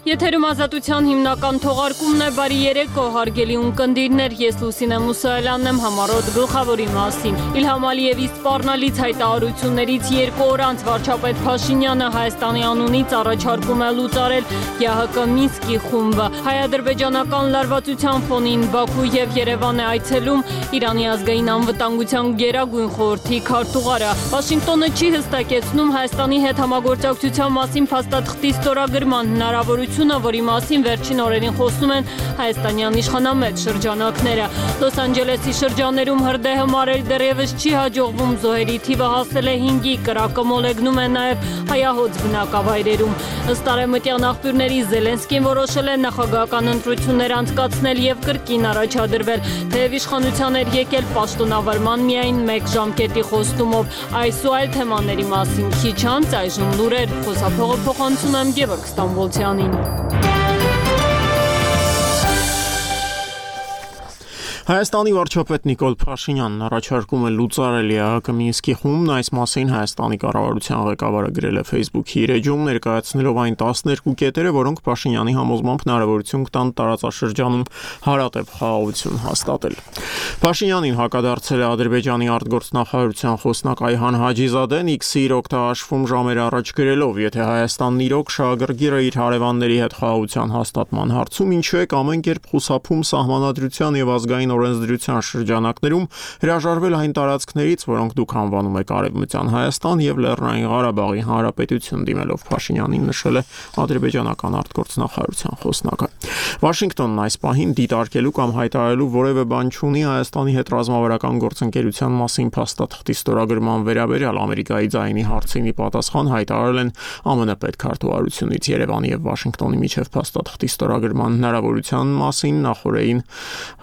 Եթերում ազատության հիմնական թողարկումն է, բարի երեկո, հարգելի ունկնդիրներ, ես Լուսինե Մուսայելյանն եմ, համառոտ գլխավորի մասին։ Իլհամ Ալիևի սպառնալից հայտարարություններից 2 օր անց վարչապետ Փաշինյանը Հայաստանի անունից առաջարկում է լուծարել ԵԱՀԿ Մինսկի խումբը։ Հայ-ադրբեջանական լարվածության ֆոնին Բաքու եւ Երևան է այցելում Իրանի ազգային անվտանգության գերագույն խորհրդի քարտուղարը։ Վաշինգտոնը չի հստակեցնում Հայաստանի հետ համագործակցության մասին փաստաթղթի ստորագրման հնարավորությունը, որի մասին վերջին օրերին խոսում են հայաստանյան իշխանամետ շրջանակները։ Լոս Անջելեսի շրջաներում հրդեհը մարել դեռևս չի հաջողվում, զոհերի թիվը հասել է 5-ի, կրակը մոլեգնում է նաև հայահոծ բնակավայրերում։ Ըստ արևմտյան աղբյուրների Զելենսկին որոշել է նախագահական ընտրություններ անցկացնել եւ կրկին առաջադրվել, թեև իշխանության էր եկել պաշտոնավարման միայն 1 ժամկետի խոստումով։ Այս ու այլ թեմաների մասին քիչ անց այժմ լուրեր, խոսափողը փոխանցում եմ Գևորգ Ստամբոլցյանին։ Հայաստանի վարչապետ Նիկոլ Փաշինյանն առաջարկում է լուծարել ԵԱՀԿ Մինսկի խումբն, այս մասին Հայաստանի կառավարության ղեկավարը գրել է Facebook-ի իր էջում, ներկայացնելով այն 12 կետերը, որոնք Փաշինյանի համոզմամբ հնարավորություն կտան տարածաշրջանում հարատև խաղաղություն հաստատել։ Փաշինյանին հակադարձել է Ադրբեջանի արտգործնախարարության խոսնակ Այհան Հաջիզադեն X-ի իր օգտահաշվում ժամեր առաջ գրելով, եթե Հայաստանն իրոք շահագրգիռը իր հարևանների հետ խաղաղության հաստատման հարցում, ինչու է ամեն կերպ խուսափում սահմանադրության եւ ազգային օրենսդրության շրջանակներում հրաժարվել այն տարածքներից, որոնք դուք անվանում եք Արևմտյան Հայաստան եւ Լեռնային Ղարաբաղի Հանրապետություն, դիմելով Փաշինյանին նշել է ադրբեջանական արտգործնախարարության խոսնակը։ Վաշինգտոնն այս պահին դիտարկելու կամ հայտարարելու որևէ բան չունի Հայաստանի հետ ռազմավարական գործընկերության մասին փաստաթղթի ստորագրման վերաբերյալ Ամերիկայի ձայնի հարցինի պատասխան հայտարարել են ԱՄՆ պետքարտուղարությունից Երևանի եւ Վաշինգտոնի միջև փաստաթղթի ստորագրման հնարավորության մասին նախորդին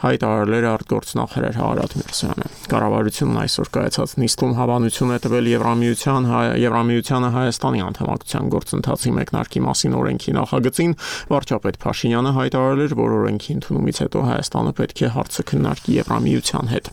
հայտարարել էր արտգործնախարար Հարատ Միրզոյանը։ Կառավարությունն այսօր կայացած նիստում հավանություն է տվել Եվրամիությանը Հայաստանի անդամակցության գործընթացի մեկնարկի մասին օրենքի նախագծին, վարչապետ Փաշինյանը հայտարարել էր, որ օրենքի ընդունումից հետո Հայաստանը պետք է հարցը քննարկի Եվրամիության հետ։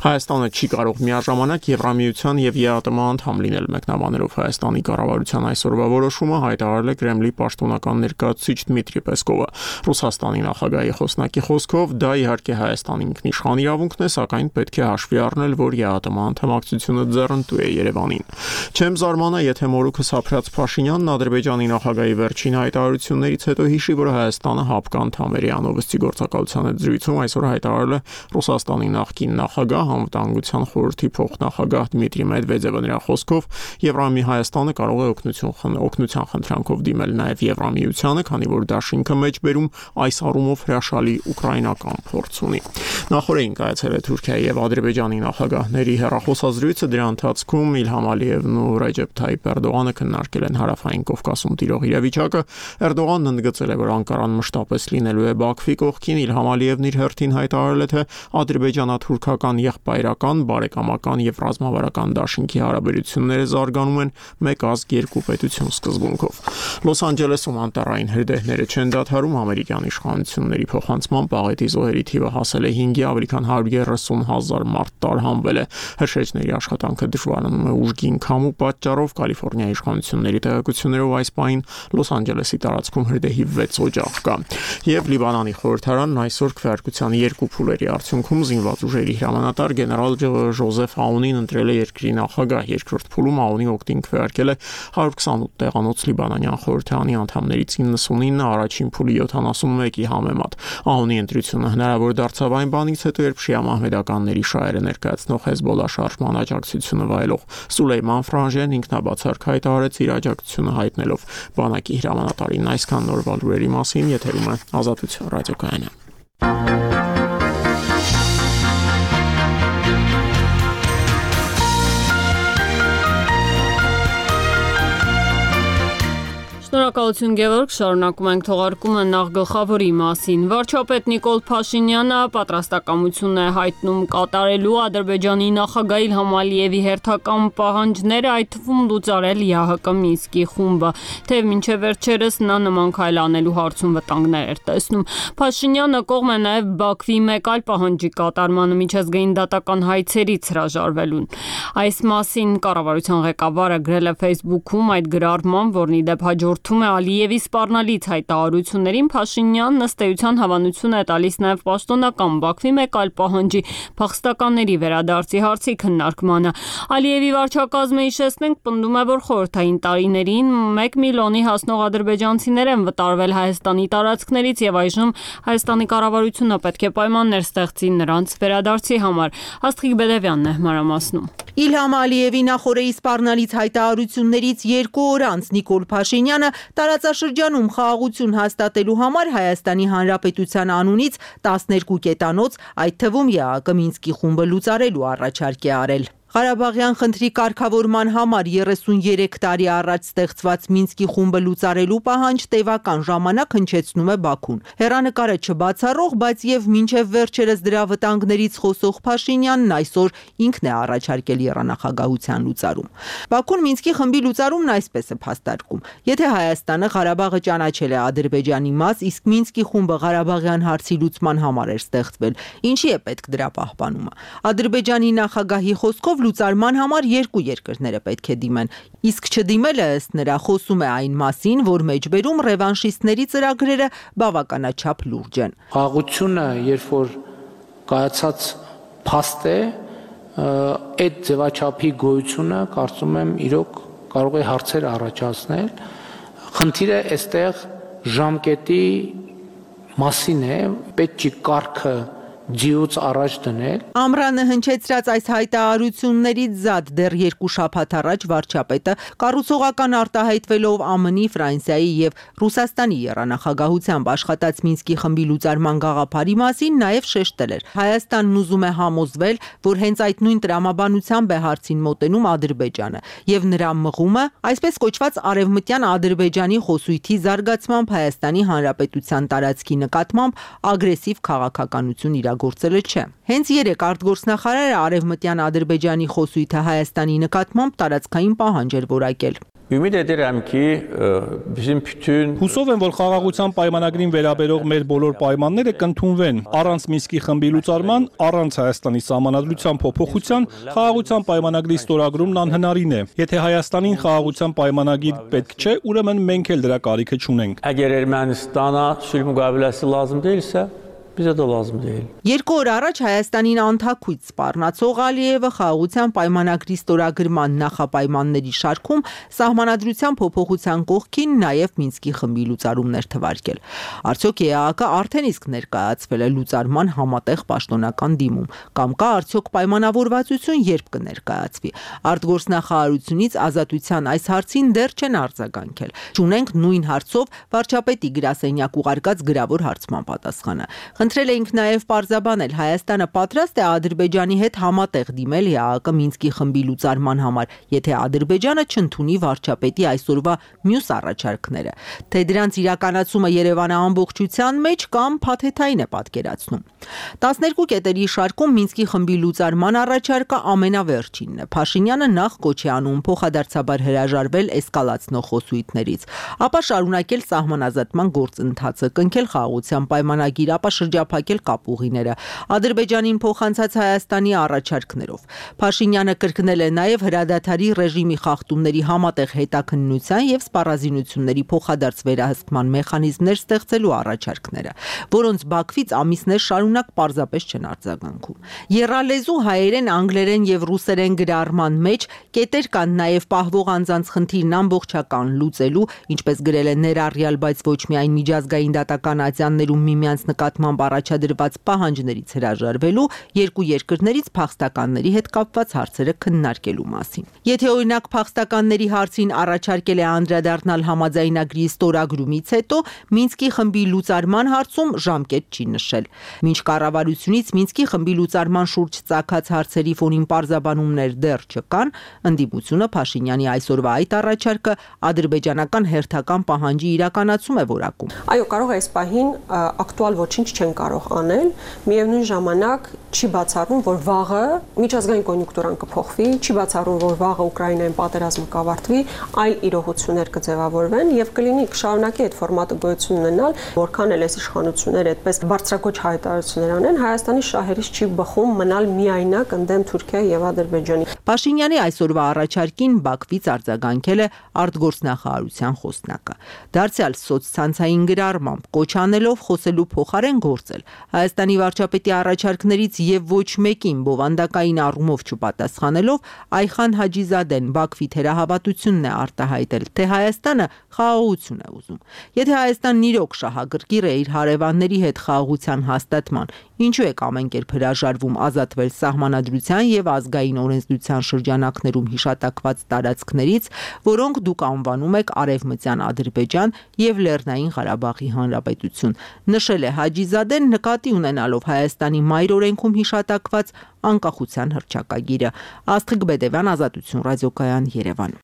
Հայաստանը չի կարող միաժամանակ Եվրամիության եւ ԵԱՏՄ անդամ լինել, մեկնաբանելով Հայաստանի կառավարության այսօրվա որոշումը հայտարարել է Կրեմլի պաշտոնական ներկայացուցիչ Դմիտրի Պեսկովը։ Ռուսաստանի նախագահի խոսնակի խոսքով դա իհարկե Հայաստանի ինքնիշխան իրավունքն է, սակայն պետք է հաշվի առնել, որ ԵԱՏՄ անդամակցությունը ձեռնտու է Երևանին։ Չեմ զարմանա, եթե մորուքս ապրած Փաշինյանն Ադրբեջանի նախագահի վերջին հայտարարություններից հետո հիշի, որ Հայաստանը ՀԱՊԿ անդամ էր Անովստի գործակալության հետ զրույցում այսօր հայտարարել է Ռուսաստանի նախկին նախագահ, անվտանգության խորհրդի փոխնախագահ Դմիտրի Մեդվեդևը։ Նրա խոսքով Եվրամի Հայաստանը կարող է օգնության խնդրանքով դիմել նաև Եվրամիությանը, քանի որ դաշինքը մեջբերում այս առումով հրաշալի ուկրաինական փորձ ունի։ Նախորդին կայացել է Թուրքիայի եւ Ադրբեջանի նախագահների հեռախոսազրույցը, դրա ընթացքում Իլհամ Ալիևն ու Ռեջեփ Թայիփ Էրդողանը քննարկել են հարավային Կովկասում տիրող իրավիճակը։ Էրդողանն ընդգծել է, որ Անկարան մշտապես լինելու է Բաքվի կողքին, Իլհամ Ալիևն իր հերթին հայտարարել է, թե ադրբեջանա-թուրքական եղբայրական, բարեկամական եւ ռազմավարական դաշինքի հարաբերությունները զարգանում են մեկ ազգ երկու պետություն սկզբունքով։ Լոս Անջելեսում անտառային հրդեհները չեն դադարում, ամերիկյան իշխանությունների փոխանցմամբ աղետի զոհերի թիվը հասել է 5-ի, ավելի քան 130,000 մարդ տարհանվել է։ Հրշեջների աշխատանքը դժվարանում է ուժգին քամու պատճառով, Կալիֆոռնիայի իշխանությունների տեղեկություններով այս պահին Լոս Անջելեսի տարածքում հրդեհի 6 օջախ կա։ Եվ Լիբանանի խորհրդարանն այսօր քվեարկության 2 փուլերի արդյունքում զինված ուժերի հրամանատար գեներալ Ժոզեֆ Աունին ընտրել է երկրի նախագահ։ Երկրորդ փուլում Աունի օգտին քվեարկել է 128 տեղանոց լիբանանյան խորհրդարանի անդամներից 99-ը, առաջին փուլի 71-ի համեմատ։ Աունի ընտրությունը հնարավոր դարձավ այն բանից հետո, երբ շիա մահմեդականների շահերը ներկայացնող Հեզբոլլա շարժման աջակցությունը վայելող Սուլեյման Ֆրանժեն ինքնաբացարկ հայտարարեց իր աջակցությունը հայտնելով բանակի հրամանատարին։ Այսքան նորվա լուրերի մասին, եթերում է Ազատություն ռադիոկայանը։ Շնորհակալություն Գևորգ, շարունակում ենք թողարկումը նախ գլխավորի մասին։ Վարչապետ Նիկոլ Փաշինյանը պատրաստակամություն է հայտնում կատարելու Ադրբեջանի նախագահ Իլհամ Ալիևի հերթական պահանջները, այդ թվում լուծարել ԵԱՀԿ Մինսկի խումբը, թեև մինչև վերջերս նա նման քայլ անելու հարցում վտանգներ էր տեսնում։ Փաշինյանը կողմ է նաև Բաքվի մեկ այլ պահանջի կատարմանը միջազգային դատական հայցերից հրաժարվելուն։ Այս մասին կառավարության ղեկավարը գրել է Facebook-ում այդ գրառման, որն ի դեպ հաջորդ շուրթում է Ալիևի սպառնալից հայտարարություններին, Փաշինյանն ըստ էության հավանություն է տալիս նաև պաշտոնական Բաքվի մեկ այլ պահանջի՝ փախստականների վերադարձի հարցի քննարկմանը։ Ալիևի վարչակազմը, հիշեցնենք, պնդում է, որ խորհրդային տարիներին 1 միլիոնի հասնող ադրբեջանցիներ են վտարվել Հայաստանի տարածքներից եւ այժմ Հայաստանի կառավարությունը պետք է պայմաններ ստեղծի նրանց վերադարձի համար։ Աստղիկ Բեդևյանն է մանրամասնում։ Իլհամ Ալիևի նախորդի սպառնալից հայտարարություններից 2 օր անց Նիկոլ Փաշինյանը տարածաշրջանում խաղաղություն հաստատելու համար Հայաստանի Հանրապետության անունից 12 կետանոց, այդ թվում ԵԱՀԿ Մինսկի խումբը լուծարելու առաջարկ է արել։ Ղարաբաղյան խնդրի կարգավորման համար 33 տարի առաջ ստեղծված Մինսկի խումբը լուծարելու պահանջ տևական ժամանակ հնչեցնում է Բաքուն։ Հեռանկարը չբացառող, բայց եւ մինչեւ վերջերս դրա վտանգներից խոսող Փաշինյանն այսօր ինքն է առաջարկել երանախագահության լուծարում։ Բաքուն Մինսկի խմբի լուծարումն այսպես է փաստարկում. եթե Հայաստանը Ղարաբաղը ճանաչել է Ադրբեջանի մաս, իսկ Մինսկի խումբը Ղարաբաղյան հարցի լուծման համար էր ստեղծվել, ինչի է պետք դրա պահպանումը։ Ադրբեջանի նախագահի խոսքով լուծարման համար 2 երկրները պետք է դիմեն, իսկ չդիմելը ըստ նրա խոսում է այն մասին, որ մեջբերում ռևանշիստների ծրագրերը բավականաչափ լուրջ են։ Խաղաղությունը, երբ որ կայացած փաստ է, այդ ձևաչափի գոյությունը կարծում եմ իրոք կարող է հարցեր առաջացնել։ Խնդիրը այստեղ ժամկետի մասին է, պետք չի կարգը ջիուց առաջ դնել։ Ամռանը հնչեցրած այս հայտարարություններից զատ դեռ 2 շաբաթ առաջ վարչապետը կառուցողական արտահայտվելով ԱՄՆ-ի, Ֆրանսիայի եւ Ռուսաստանի երանախագահությամբ աշխատած Մինսկի խմբի լուծարման գաղափարի մասին նաև շեշտել էր։ Հայաստանն ուզում է համոզվել, որ հենց այդ նույն տրամաբանությամբ է հարցին մոտենում Ադրբեջանը եւ նրա մղումը այսպես կոչված արևմտյան Ադրբեջանի խոսույթի զարգացմամբ Հայաստանի Հանրապետության տարածքի նկատմամբ ագրեսիվ քաղաքականություն գործելը չէ։ Հենց երեկ արտգործնախարարը արևմտյան Ադրբեջանի խոսույթը Հայաստանի նկատմամբ տարածքային պահանջ էր որակել։ Հուսով եմ, որ խաղաղության պայմանագրին վերաբերող մեր բոլոր պայմանները կընդունվեն, առանց Մինսկի խմբի լուծարման, առանց Հայաստանի սահմանադրության փոփոխության, խաղաղության պայմանագրի ստորագրումն անհնարին է։ Եթե Հայաստանին խաղաղության պայմանագիր պետք չէ, ուրեմն մենք էլ դրա կարիքը չունենք։ Əgər Ermənistana sülh müqaviləsi lazım deyilsə, bizə də lazım deyil։ 2 օր առաջ Հայաստանին անթաքույց սպառնացող Ալիևը խաղաղության պայմանագրի ստորագրման նախապայմանների շարքում սահմանադրության փոփոխության կողքին նաև Մինսկի խմբի լուծարումներ թվարկել։ Արդյոք ԵԱՀԿ արդեն իսկ ներկայացվել է լուծարման համատեղ պաշտոնական դիմում, կամ կա արդյոք պայմանավորվածություն, երբ կներկայացվի։ Արտգործնախարարությունից Ազատության այս հարցին դեռ չեն արձագանքել։ Չունենք նույն հարցով վարչապետի գրասենյակ ուղարկած գրավոր հարցման պատասխանը։ Խնդրել էինք նաև պարզաբանել, Հայաստանը պատրաստ է Ադրբեջանի հետ համատեղ դիմել ԵԱՀԿ Մինսկի խմբի լուծարման համար, եթե Ադրբեջանը չընդունի վարչապետի այսօրվա մյուս առաջարկները, թե դրանց իրականացումը Երևանը ամբողջության մեջ կամ փաթեթային է պատկերացնում։ 12 կետերի շարքում Մինսկի խմբի լուծարման առաջարկը ամենավերջինն է։ Փաշինյանը նախ կոչ է անում փոխադարձաբար հրաժարվել էսկալացնող խոսույթներից, ապա շարունակել սահմանազատման գործընթացը, կնքել խաղաղության պայմանագիր, ապա շրջափակել կապուղիները, Ադրբեջանին փոխանցած Հայաստանի առաջարկներով։ Փաշինյանը կրկնել է նաև հրադադարի ռեժիմի խախտումների համատեղ հետաքննության եւ սպառազինությունների փոխադարձ վերահսկման մեխանիզմներ ստեղծելու առաջարկները, որոնց Բաքվից ամիսներ շարունակ պարզապես չեն արձագանքում։ Եռալեզու հայերեն, անգլերեն եւ ռուսերեն գրառման մեջ կետեր կան նաև պահվող անձանց խնդիրն ամբողջական լուծելու, ինչպես գրել է ներառյալ, բայց ոչ միայն միջազգային դատական ատյաններում միմյանց նկատմամբ առաջադրված պահանջներից հրաժարվելու, երկու երկրներից փախստականների հետ կապված հարցերը քննարկելու մասին։ Եթե օրինակ փախստականների հարցին առաջարկել է անդրադառնալ համաձայնագրի ստորագրումից հետո, Մինսկի խմբի լուծարման հարցում ժամկետ չի նշել։ Մինչ կառավարությունից Մինսկի խմբի լուծարման շուրջ ծագած հարցերի ֆոնին պարզաբանումներ դեռ չկան, ընդդիմությունը Փաշինյանի այսօրվա այդ առաջարկը ադրբեջանական հերթական պահանջի իրականացում է որակում։ Այո, կարող է այս պահին ակտուալ ոչինչ չեն են կարող անել, միևնույն ժամանակ չի բացառվում, որ վաղը միջազգային կոնյունկտուրան կփոխվի, չի բացառվում, որ վաղը Ուկրաինայում պատերազմը կավարտվի, այլ իրողություններ կձևավորվեն եւ կլինի կշարունակի այդ ֆորմատը գոյություն ունենալ, որքան էլ այս իշխանությունները այդպես բարձրագույն հայտարարություններ անեն, Հայաստանի շահերից չի բխում մնալ միայնակ ընդդեմ Թուրքիայի եւ Ադրբեջանի։ Փաշինյանի այսօրվա առաջարկին Բաքվից արձագանքել է արտգործնախարարության խոսնակը։ Դարձյալ սոցցանցային գրառմամբ կոչ անելով խոսելու փոխարեն գործել Հայաստանի վարչապետի առաջարկներից եւ ոչ մեկին բովանդակային առումով չպատասխանելով Այխան Հաջիզադեն Բաքվի թերահավատությունն է արտահայտել, թե Հայաստանը խաղաղություն է ուզում։ Եթե Հայաստանն իրոք շահագրգիռ է իր հարևանների հետ խաղաղության հաստատման, ինչու է ամեն կերպ հրաժարվում ազատվել սահմանադրության եւ ազգային օրենսդրության շրջանակներում հիշատակված տարածքներից, որոնք դուք անվանում եք Արևմտյան Ադրբեջան եւ Լեռնային Ղարաբաղի Հանրապետություն, նշել է Հաջիզադեն նկատի ունենալով Հայաստանի մայր օրենքում հիշատակված անկախության հռչակագիրը։ Աստղիկ Բեդևյան, Ազատություն ռադիոկայան, Երևան։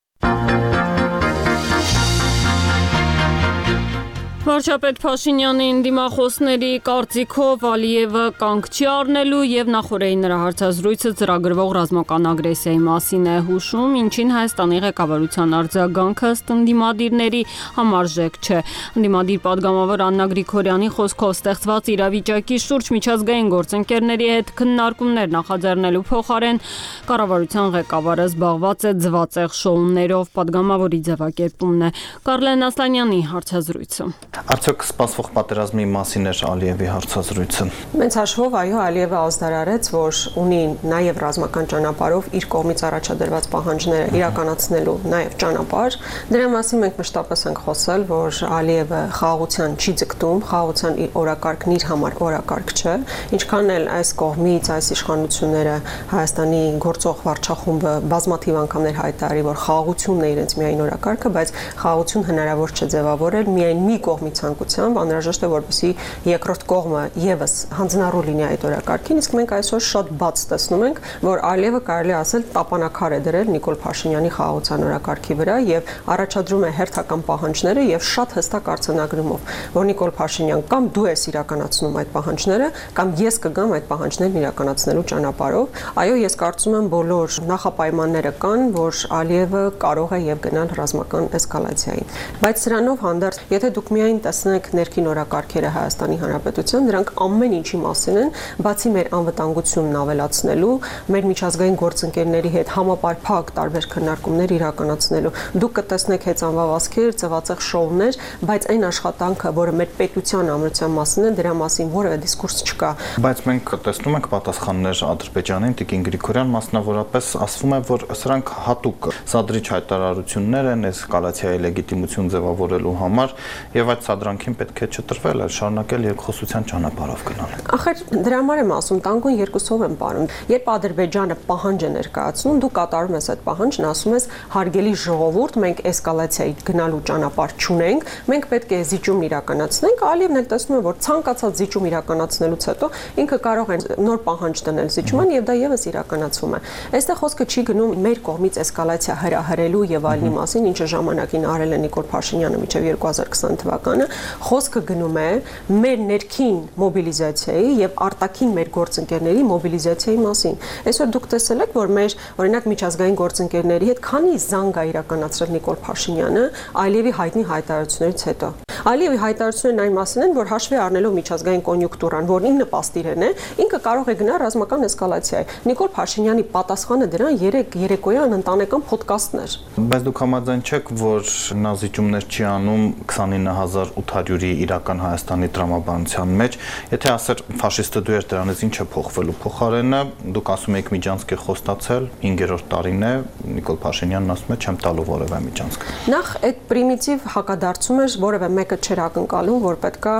Վարչապետ Փաշինյանի դիմախոսների կարծիքով Ալիևը կանգ չի առնելու եւ նախորդային նրա հարցազրույցը ծրագրվող ռազմական ագրեսիայի մասին է հուշում, ինչին Հայաստանի ղեկավարության արձագանքը ըստ ընդդիմադիրների համարժեք չէ։ Ընդդիմադիր падգամավոր Աննա Գրիգորյանի խոսքով ստեղծված իրավիճակի շուրջ միջազգային գործընկերների հետ քննարկումներ նախաձեռնելու փոխարեն կառավարության ղեկավարը զբաղված է ձվածեղ շոուներով, падգամավորի ձևակերպումն է։ Կարլեն Ասլանյանի հարցազրույցը։ Արդյոք սպասվող պատերազմի մասին էր Ալիևի հարցազրույցը։ Մեծ հաշվով, այո, Ալիևը ազդարարեց, որ ունի նաև ռազմական ճանապարհով իր կողմից առաջադրված պահանջները իրականացնելու նաև ճանապարհ։ Դրա մասին մենք մշտապես ենք խոսել, որ Ալիևը խաղաղության չի ձգտում, խաղաղության իր օրակարգն իր համար օրակարգ չէ, ինչքան էլ այս կողմից այս իշխանությունները Հայաստանի գործող վարչախումբը բազմաթիվ անգամներ հայտարարի, որ խաղաղությունն է իրենց միայն օրակարգը, բայց խաղաղություն հնարավոր չէ ձևավորել միայն մի կողմի ցանկությամբ, անհրաժեշտ է, որպեսզի երկրորդ կողմը եւս հանձնառու լինի այդ օրակարգին, իսկ մենք այսօր շատ բաց տեսնում ենք, որ Ալիևը կարելի ասել տապանակար է դրել Նիկոլ Փաշինյանի խաղաղության օրակարգի վրա եւ առաջադրում է հերթական պահանջները եւ շատ հստակ արձանագրումով, որ Նիկոլ Փաշինյան կամ դու ես իրականացնում այդ պահանջները, կամ ես կգամ այդ պահանջներն իրականացնելու ճանապարհով։ Այո, ես կարծում եմ բոլոր նախապայմանները կան, որ Ալիևը կարող է եւ գնալ ռազմական էսկալացիայի։ Բայց սրանով հանդերձ, եթե դուք միայն տեսնեք ներքին օրակարգերը Հայաստանի Հանրապետության, դրանք ամեն ինչի մասին են, բացի մեր անվտանգությունն ավելացնելու, մեր միջազգային գործընկերների հետ համապարփակ տարբեր քննարկումներ իրականացնելու։ Դուք կտեսնեք հեծանվավազքեր, ձվածեղ շոուներ, բայց այն աշխատանքը, որը մեր պետության ամրության մասին է, դրա մասին որևէ դիսկուրս չկա։ Բայց մենք տեսնում ենք պատասխաններ Ադրբեջանին, Տիկին Գրիգորյան մասնավորապես ասվում է, որ սրանք հատուկ սադրիչ հայտարարություններ են էսկալացիայի լեգիտիմություն ձևավորելու համար եւ այդ սադրանքին պետք է չտրվել, այլ շարունակել երկխոսության ճանապարհով գնալ։ Ախր դրա համար եմ ասում, տանկուն երկուսով եմ πάρում։ Երբ Ադրբեջանը պահանջ է ներկայացնում, դու կատարում ես այդ պահանջն, ասում ես հարգելի ժողովուրդ, մենք էսկալացիայի գնալու ճանապարհ չունենք, մենք պետք է զիջում իրականացնենք, Ալիևն էլ տեսնում է, որ ցանկացած զիջում իրականացնելուց հետո ինքը կարող է նոր պահանջ դնել զիջման եւ դա եւս իրականացվում է։ Այստեղ խոսքը չի գնում մեր կողմից էսկալացիա հրահրելու եւ այլնի մասին, ինչը ժամանակին արել է Նիկոլ Փաշինյանը մինչեւ 2020 թվականը, խոսքը գնում է մեր ներքին մոբիլիզացիայի եւ արտաքին մեր գործընկերների մոբիլիզացիայի մասին։ Այսօր դուք տեսել եք, որ մեր օրինակ միջազգային գործընկերների հետ քանի զանգ է իրականացրել Նիկոլ Փաշինյանը Ալիևի հայտնի հայտարարություններից հետո։ Ալիևի հայտարարություններն այն մասին են, որ հաշվի առնելով միջազգային կոնյունկտուրան, որն ինքը պաստիրեն է, ինքը կարող է գնալ ռազմական էսկալացիայի։ Նիկոլ Փաշինյանի պատասխանը դրան երեկոյան ընտանեկան ոդկասթներ։ Բայց դուք համաձայն չեք, որ նա զիջումներ չի անում 29800-ի իրական Հայաստանի տրամաբանության մեջ, եթե ասեր ֆաշիստը դու ես, դրանից ինչ է փոխվելու։ Փոխարենը դուք ասում եք միջանցք է խոստացել, 5-րդ տարին է, Նիկոլ Փաշինյանն ասում է չեմ տալու որևէ միջանցք։ Նախ այդ պրիմիտիվ հակադարձում էր, որևէ մեկը չէր ակնկալում, որ պետքա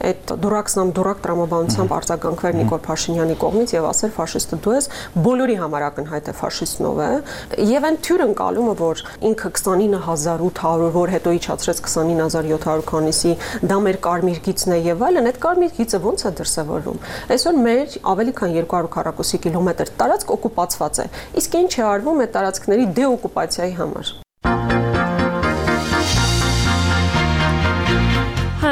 այդ դուրակ տրամաբանությամբ արձագանքվեր Նիկոլ Փաշինյանի կողմից եւ ասեր ֆաշիստը դու ես, բոլորի համար ակնհայտ է ֆաշիստն ով է, եւ այն թյուր ընկալումը, որ ինքը 29800, որ հետո իջացրեց 29700 քանիսի, դա մեր կարմիր գիծն է եւ այլն, այդ կարմիր գիծը ո՞նց է դրսեւորվում։ Այսօր մեր ավելի քան 200 քառակուսի կիլոմետր տարածք օկուպացված է։ Իսկ ինչ է արվում այդ տարածքների դեօկուպացիայի համար։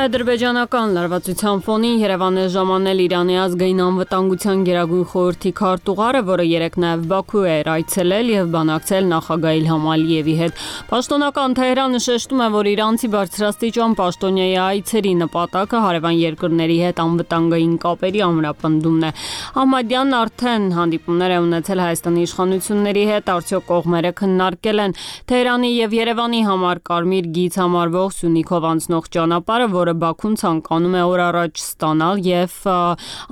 Հայ-ադրբեջանական լարվածության ֆոնին Երևան է ժամանել Իրանի ազգային անվտանգության գերագույն խորհրդի քարտուղարը, որը երեկ նաև Բաքու էր այցելել եւ բանակցել նախագահ Իլհամ Ալիևի հետ։ Պաշտոնական Թեհրանը շեշտում է, որ իրանցի բարձրաստիճան պաշտոնյայի այցերի նպատակը հարևան երկրների հետ անվտանգային կապերի ամրապնդումն է։ Ahmadyan արդեն հանդիպումներ է ունեցել Հայաստանի իշխանությունների հետ, արդյոք կողմերը քննարկել են Թեհրանի եւ Երևանի համար կարմիր գիծ համարվող Սյունիքով անցնող ճանապարհը, որը Բաքուն ցանկանում է օր առաջ ստանալ եւ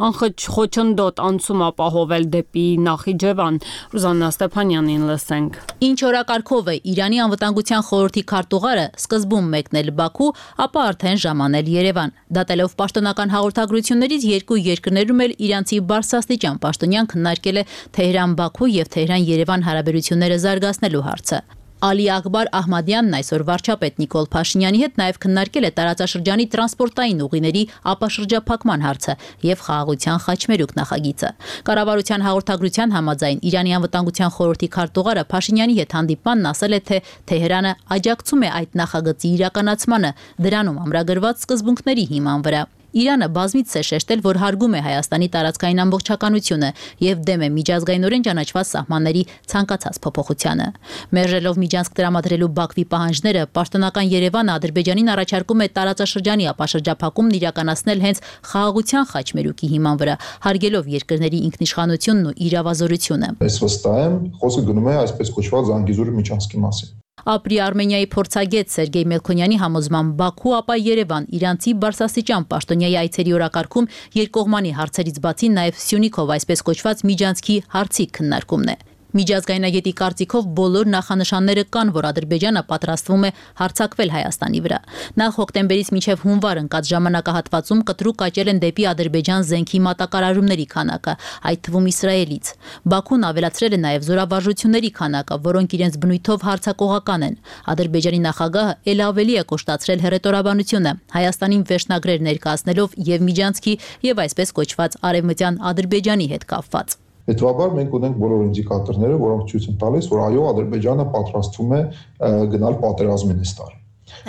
անխոչնդոտ անցում ապահովել դեպի Նախիջևան։ Ռուզաննա Ստեփանյանին լսենք։ Ինչ օրակարգով է Իրանի անվտանգության խորհրդի քարտուղարը սկզբում մեկնել Բաքու, ապա արդեն ժամանել Երևան։ Դատելով պաշտոնական հաղորդագրություններից երկու երկրներում էլ իրանցի բարձրաստիճան պաշտոնյան քննարկել է Թեհրան-Բաքու եւ Թեհրան-Երևան հարաբերությունները զարգացնելու հարցը։ Ալի Ակբար Ահմադյանն այսօր վարչապետ Նիկոլ Փաշինյանի հետ նաև քննարկել է տարածաշրջանի տրանսպորտային ուղիների ապաշրջափակման հարցը եւ խաղաղության խաչմերուկ նախագիծը։ Կառավարության հաղորդագրության համաձայն Իրանի անվտանգության խորհրդի քարտուղարը Փաշինյանի հետ հանդիպմանն ասել է, թե Թեհրանը աջակցում է այդ նախագծի իրականացմանը, դրանում ամրագրված սկզբունքների հիման վրա։ Իրանը բազմիցս է շեշտել, որ հարգում է Հայաստանի տարածքային ամբողջականությունը եւ դեմ է միջազգայինորեն ճանաչված սահմանների ցանկացած փոփոխությանը։ Մերժելով Միջանցք տրամադրելու Բաքվի պահանջները, պաշտոնական Երևանը Ադրբեջանին առաջարկում է տարածաշրջանի ապաշրջափակումն իրականացնել հենց խաղաղության խաչմերուկի հիման վրա, հարգելով երկրների ինքնիշխանությունն ու իրավազորությունը։ Ես վստահ եմ, խոսքը գնում է այսպես կոչված Զանգիզուրի միջանցքի մասին։ Ապրի Արմենիայի փորձագետ Սերգեյ Մելքոնյանի համոզմամբ Բաքու, ապա Երևան իրանցի բարձրաստիճան պաշտոնյայի այցերի օրակարգում երկկողմանի հարցերից բացի նաև Սյունիքով այսպես կոչված միջանցքի հարցի քննարկումն է։ Միջազգայնագետի կարծիքով բոլոր նախանշանները կան, որ Ադրբեջանը պատրաստվում է հարձակվել Հայաստանի վրա։ Նախ հոկտեմբերից մինչև հունվար ընկած ժամանակահատվածում կտրուկ աճել են դեպի Ադրբեջան զենքի մատակարարումների քանակը, այդ թվում Իսրայելից։ Բաքուն ավելացրել է նաև զորավարժությունների քանակը, որոնք իրենց բնույթով հարձակողական են։ Ադրբեջանի նախագահը ել ավելի է կոշտացրել հռետորաբանությունը, Հայաստանին վերջնագրեր ներկայացնելով եւ միջանցքի եւ այսպես կոչված արևմտյան Ադրբեջանի հետ կապված։ Հետևաբար մենք ունենք բոլոր ինդիկատորները, որոնք ցույց են տալիս, որ այո, Ադրբեջանը պատրաստվում է գնալ պատերազմին այս տարի։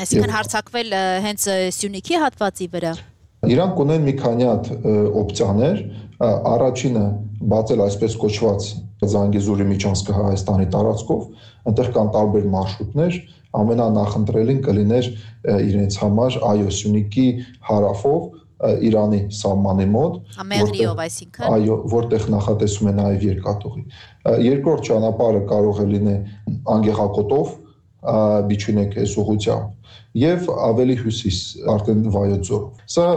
Այսինքն հարձակվել հենց Սյունիքի հատվածի վրա։ Իրանք ունեն մի քանի հատ օպցիաներ, առաջինը բացել այսպես կոչված Զանգիզուրի միջանցքը Հայաստանի տարածքով, այնտեղ կան տարբեր մարշրուտներ, ամենանախընտրելին կլիներ իրենց համար այո Սյունիքի հարավով Իրանի սահմանի մոտ, Ամեղրիով, այսինքն այո, որտեղ նախատեսում է նաև երկաթուղի։ Երկրորդ ճանապարհը կարող է լինել Անգեղակոտով, Բիչունեկ այս ուղղությամբ եւ ավելի հյուսիս արդեն Վայոց ձորով։ Սա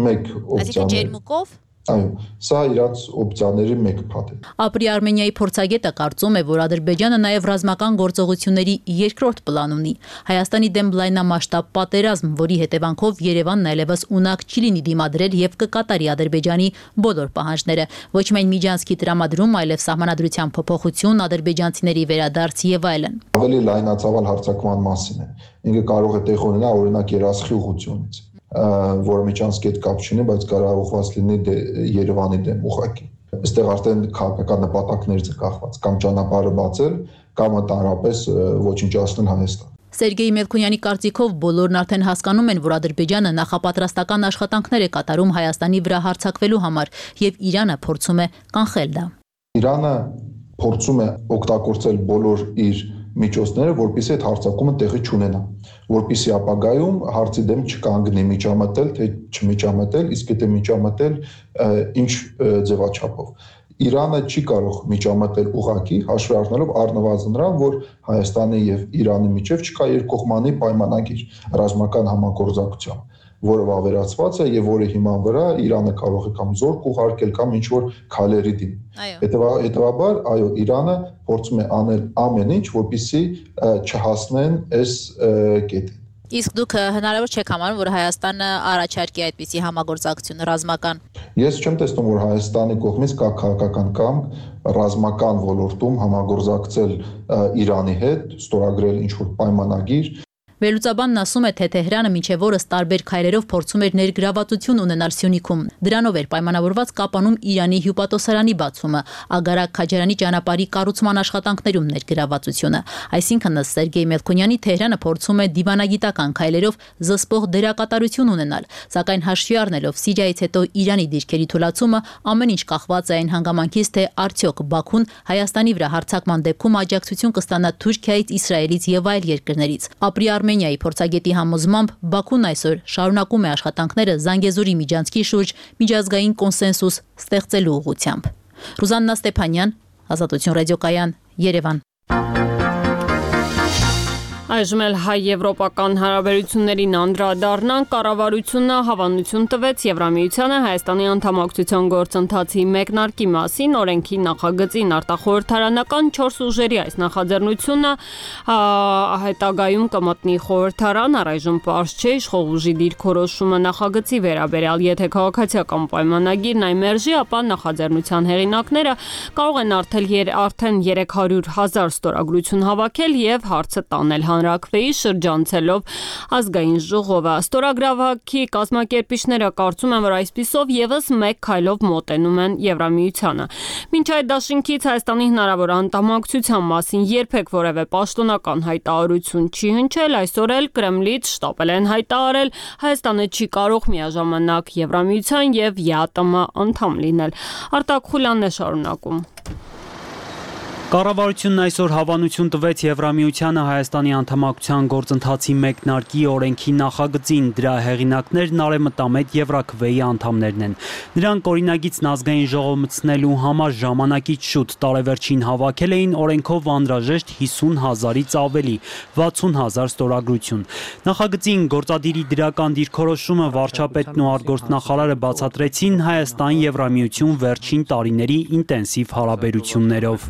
մեկ օպցիա է։ Այսինքն ջերմուկով։ Այո, սա իրաց օպցիաների մեկ փաթ է։ Ապրի Արմենիայի փորձագետը կարծում է, որ Ադրբեջանը նաև ռազմական գործողությունների երկրորդ պլան ունի։ Հայաստանի դեմ լայնամասշտաբ պատերազմ, որի հետևանքով Երևանն այլևս ունակ չի լինի դիմադրել եւ կկատարի Ադրբեջանի բոլոր պահանջները, ոչ միայն միջանցքի տրամադրում, այլև սահմանադրության փոփոխություն, ադրբեջանցիների վերադարձ եւ այլն։ Ավելի լայնածավալ հարձակման մասին է։ Ինքը կարող է տեղ ունենալ օրինակ Երասխի ուղղությունից, որը միջանցքի հետ կապ չունի, բայց կարող ուղղված լինի Երևանի դեմ ուղղակի։ Այստեղ արդեն քաղաքական նպատակներից է կախված, կամ ճանապարհը բացել, կամ ընդհանրապես ոչնչացնել Հայաստան։ Սերգեյ Մելքոնյանի կարծիքով բոլորն արդեն հասկանում են, որ Ադրբեջանը նախապատրաստական աշխատանքներ է կատարում Հայաստանի վրա հարձակվելու համար, եւ Իրանը փորձում է կանխել դա։ Իրանը փորձում է օգտագործել բոլոր իր միջոցները, որպեսզի այդ հարձակումը տեղի չունենա, որպեսզի ապագայում հարցի դեմ չկանգնի միջամտել, թե չմիջամտել, իսկ եթե միջամտել, ինչ ձևաչափով։ Իրանը չի կարող միջամտել ուղղակի, հաշվի առնելով առնվազն նրան, որ Հայաստանի եւ Իրանի միջև չկա երկկողմանի պայմանագիր ռազմական համագործակցության, որը վավերացված է եւ որի հիման վրա Իրանը կարող է կամ զորք ուղարկել կամ ինչ որ քայլերի դիմել։ Հետևաբար, այո, Իրանը փորձում է անել ամեն ինչ, որպեսզի չհասնեն այս կետին։ Իսկ դուք հնարավոր չեք համարում, որ Հայաստանը առաջարկի այդպիսի համագործակցություն ռազմական։ Ես չեմ տեսնում, որ Հայաստանի կողմից կա քաղաքական կամք ռազմական ոլորտում համագործակցել Իրանի հետ, ստորագրել ինչ որ պայմանագիր։ Վերլուծաբանն ասում է, թե Թեհրանը մինչև օրս տարբեր քայլերով փորձում էր ներգրավվածություն ունենալ Սյունիքում։ Դրանով էր պայմանավորված Կապանում Իրանի հյուպատոսարանի բացումը, Ագարակ Քաջարյանի ճանապարհի կառուցման աշխատանքներում ներգրավվածությունը։ Այսինքն, ըստ Սերգեյ Մելքոնյանի, Թեհրանը փորձում է դիվանագիտական քայլերով զսպող դերակատարություն ունենալ, սակայն հաշվի առնելով Սիրիայից հետո Իրանի դիրքերի թուլացումը, ամեն ինչ կախված է այն հանգամանքից, թե արդյոք Բաքուն Հայաստանի վրա հարձակման դեպքում աջակցություն կստանա Թուրքիայից, Իսրայելից եւ այլ երկրներից։ Ապրի Արմենիայի փորձագետի համոզմամբ Բաքուն այսօր շարունակում է աշխատանքները Զանգեզուրի միջանցքի շուրջ միջազգային կոնսենսուս ստեղծելու ուղղությամբ։ Ռուզաննա Ստեփանյան, Ազատություն ռադիոկայան, Երևան։ Այժմ էլ հայ-եվրոպական հարաբերություններին անդրադառնանք, կառավարությունը հավանություն տվեց Եվրամիությանը Հայաստանի անդամակցության գործընթացի մեկնարկի մասին, օրենքի նախագծին արտախորհրդարանական 4 ուժերի այս նախաձեռնությունը հետագայում կմտնի խորհրդարան, առայժմ պարզ չէ իշխող ուժի դիրքորոշումը նախագծի վերաբերյալ, եթե քաղաքացիական պայմանագիրն այն մերժի, ապա նախաձեռնության հեղինակները կարող են արդեն 300,000 ստորագրություն հավաքել եւ հարցը տանել հանրաքվեի շրջանցելով ազգային ժողովը։ Ստորագրավաքի կազմակերպիչները կարծում են, որ այսպիսով եւս մեկ քայլով մոտենում են Եվրամիությանը։ Մինչ այդ դաշինքից Հայաստանի հնարավոր անդամակցության մասին երբեք որևէ պաշտոնական հայտարարություն չի հնչել, այսօր էլ Կրեմլից շտապել են հայտարարել Հայաստանը չի կարող միաժամանակ Եվրամիության եւ ԵԱՏՄ անդամ լինել։ Արտակ Խուլյանն է շարունակում։ Կառավարությունն այսօր հավանություն տվեց Եվրամիությանը Հայաստանի անդամակցության գործընթացի մեկնարկի օրենքի նախագծին, դրա հեղինակներն արևմտամետ Եվրաքվեի անդամներն են։ Նրանք օրինագիծն ազգային ժողով մտցնելու համար ժամանակից շուտ տարեվերջին հավաքել էին օրենքով անհրաժեշտ 50,000-ից ավելի, 60,000 ստորագրություն։ Նախագծին գործադիրի դրական դիրքորոշումը վարչապետն ու արտգործնախարարը բացատրեցին Հայաստան-Եվրամիություն վերջին տարիների ինտենսիվ հարաբերություններով։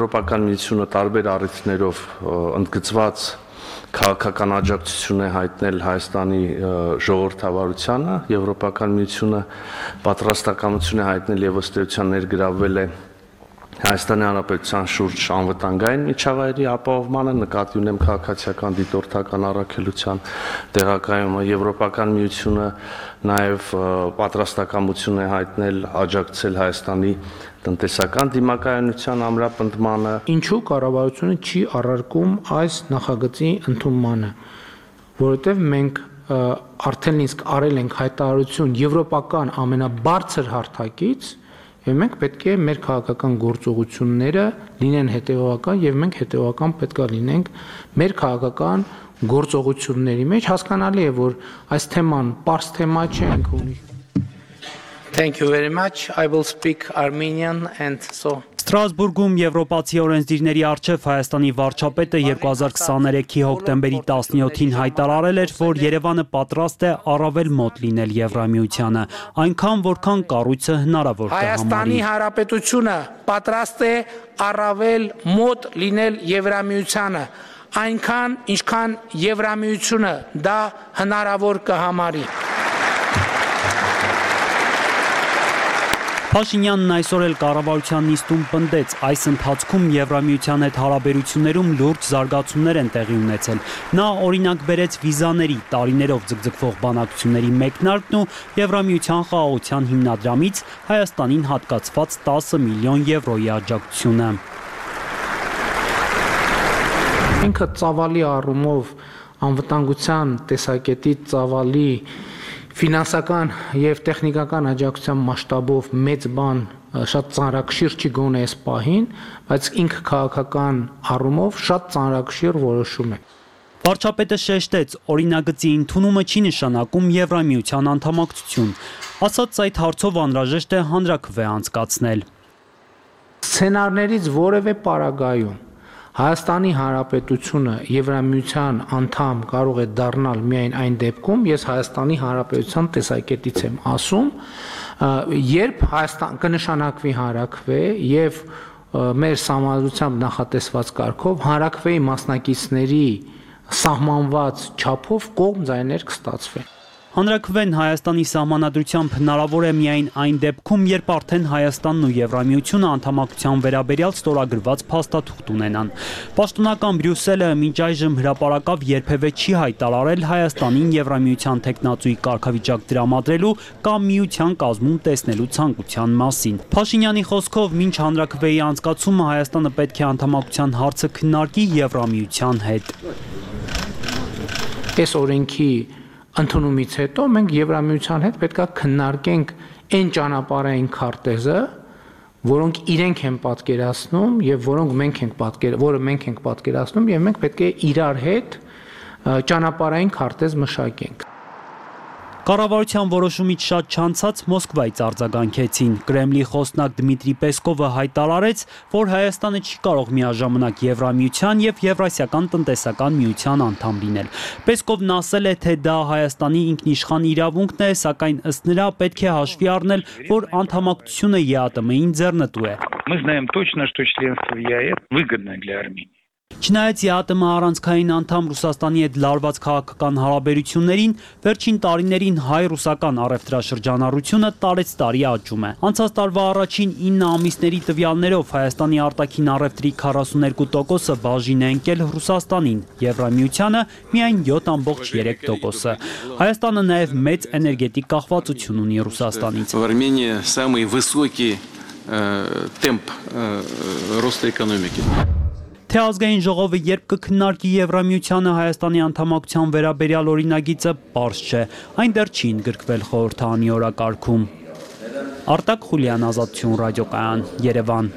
Եվրոպական միությունը տարբեր առիթներով ընդգծված քաղաքական աջակցություն է հայտնել Հայաստանի ժողովրդավարությանը, Եվրոպական միությունը պատրաստակամություն է հայտնել եւ ըստ էության ներգրավվել է Հայաստանի Հանրապետության շուրջ անվտանգային միջավայրի ապահովմանը, նկատի ունեմ քաղաքացիական դիտորդական առաքելության տեղակայումը, Եվրոպական միությունը նաև պատրաստակամություն է հայտնել աջակցել Հայաստանի տնտեսական դիմակայունության ամրապնդմանը։ Ինչու կառավարությունը չի առարկում այս նախագծի ընդունմանը, որովհետև մենք արդեն իսկ արել ենք հայտարարություն եվրոպական ամենաբարձր հարթակից, եւ մենք պետք է մեր քաղաքական գործողությունները լինեն հետեւողական եւ մենք հետեւողական պետք է լինենք մեր քաղաքական գործողությունների մեջ։ Հասկանալի է, որ այս թեման պարզ թեմա չէ, ինքը ունի։ Thank you very much. I will speak Armenian and so Ստրասբուրգում եվրոպացի օրենսդիրների առջև Հայաստանի վարչապետը 2023-ի հոկտեմբերի 17-ին հայտարարել էր, որ Երևանը պատրաստ է առավել մոտ լինել Եվրամիությանը, այնքան որքան կառույցը հնարավոր կհամարի։ Հայաստանի Հանրապետությունը պատրաստ է առավել մոտ լինել Եվրամիությանը, այնքան ինչքան Եվրամիությունը դա հնարավոր կհամարի։ Փաշինյանն այսօր էլ կառավարության նիստում պնդեց, այս ընթացքում Եվրամիության հետ հարաբերություններում լուրջ զարգացումներ են տեղի ունեցել։ Նա օրինակ բերեց վիզաների տարիներով ձգձգվող բանակցությունների մեկնարկն ու Եվրամիության խաղաղության հիմնադրամից Հայաստանին հատկացված 10 միլիոն եվրոյի աջակցությունը։ Ինքը ծավալի առումով անվտանգության տեսակետից ծավալի ֆինանսական եւ տեխնիկական աջակցության մասշտաբով մեծ բան շատ ծանրակշիռ չի գոնե այս պահին, բայց ինքը քաղաքական առումով շատ ծանրակշիռ որոշում է։ Վարչապետը շեշտեց, օրինագծի ընդունումը չի նշանակում Եվրամիության անդամակցություն, ասաց այդ հարցով անհրաժեշտ է հանրաքվե անցկացնել։ Սցենարներից որևէ պարագայում Հայաստանի Հանրապետությունը Եվրամիության անդամ կարող է դառնալ միայն այն դեպքում, ես Հայաստանի Հանրապետության տեսակետից եմ ասում, երբ Հայաստան կնշանակվի հանրաքվե եւ մեր համազգությամբ նախատեսված կարգով հանրաքվեի մասնակիցների սահմանված չափով կողմ ձայներ կստացվեն։ Հանրաքվեն Հայաստանի սահմանադրությամբ հնարավոր է միայն այն դեպքում, երբ արդեն Հայաստանն ու Եվրամիությունը անդամակցության վերաբերյալ ստորագրված փաստաթուղթ ունենան։ Պաշտոնական Բրյուսելը մինչ այժմ հրապարակավ երբևէ չի հայտարարել Հայաստանին Եվրամիության տեխնացուի կարգավիճակ տրամադրելու կամ միության կազմում տեսնելու ցանկության մասին։ Փաշինյանի խոսքով, մինչ հանրաքվեի անցկացումը Հայաստանը պետք է անդամակցության հարցը քննարկի Եվրամիության հետ։ Այս օրենքի ընդունումից հետո մենք Եվրամիության հետ պետք է քննարկենք այն ճանապարհային քարտեզը, որոնք իրենք են պատկերացնում եւ որը մենք ենք պատկերացնում եւ մենք պետք է իրար հետ ճանապարհային քարտեզ մշակենք։ Կառավարության որոշումից շատ չանցած Մոսկվայից արձագանքեցին։ Կրեմլի խոսնակ Դմիտրի Պեսկովը հայտարարեց, որ Հայաստանը չի կարող միաժամանակ Եվրամիության եւ Եվրասիական տնտեսական միության անդամ լինել։ Պեսկովն ասել է, թե դա Հայաստանի ինքնիշխան իրավունքն է, սակայն ըստ նրա պետք է հաշվի առնել, որ անդամակցությունը ԵԱՏՄ-ին ձեռնտու է։ Мы знаем точно, что членство в ЕАЭС выгодно для Армении. Չնայած ԵԱՏՄ առանցքային անդամ Ռուսաստանի հետ լարված քաղաքական հարաբերություններին, վերջին տարիներին հայ-ռուսական առևտրաշրջանառությունը տարեցտարի աճում է։ Անցած տարվա առաջին 9 ամիսների տվյալներով Հայաստանի արտաքին առևտրի 42%-ը բաժին է ընկել Ռուսաստանին, Եվրամիությանը միայն 7.3%-ը։ Հայաստանը նաև մեծ էներգետիկ կախվածություն ունի Ռուսաստանից։ В Армении самый высокий темп роста экономики. Թե ազգային ժողովը երբ կքննարկի Եվրամիությանը Հայաստանի անդամակցության վերաբերյալ օրինագիծը, պարզ չէ, այն դեռ չի ընդգրկվել խորհրդարանի օրակարգում։ Արտակ Խուլյան, Ազատություն ռադիոկայան, Երևան։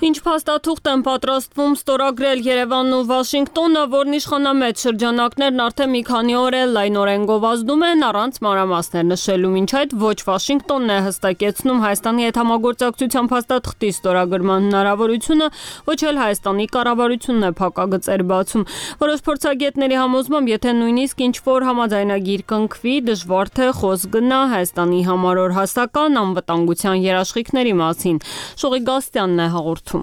Ինչ փաստաթուղթ են պատրաստվում ստորագրել Երևանն ու Վաշինգտոնը, որն իշխանամետ շրջանակներն արդեն մի քանի օր է լայնորեն գովազդում են առանց մանրամասներ նշելու, մինչ այդ ոչ Վաշինգտոնն է հստակեցնում Հայաստանի հետ համագործակցության փաստաթղթի ստորագրման հնարավորությունը, ոչ էլ Հայաստանի կառավարությունն է փակագծեր բացում։ Որոշ փորձագետների համոզմամբ, եթե նույնիսկ ինչ-որ համաձայնագիր կնքվի, դժվար թե խոսք գնա Հայաստանի համար օրհասական անվտանգության երաշխիքների մասին։ Շողի Գաստյանն է հաղորդում։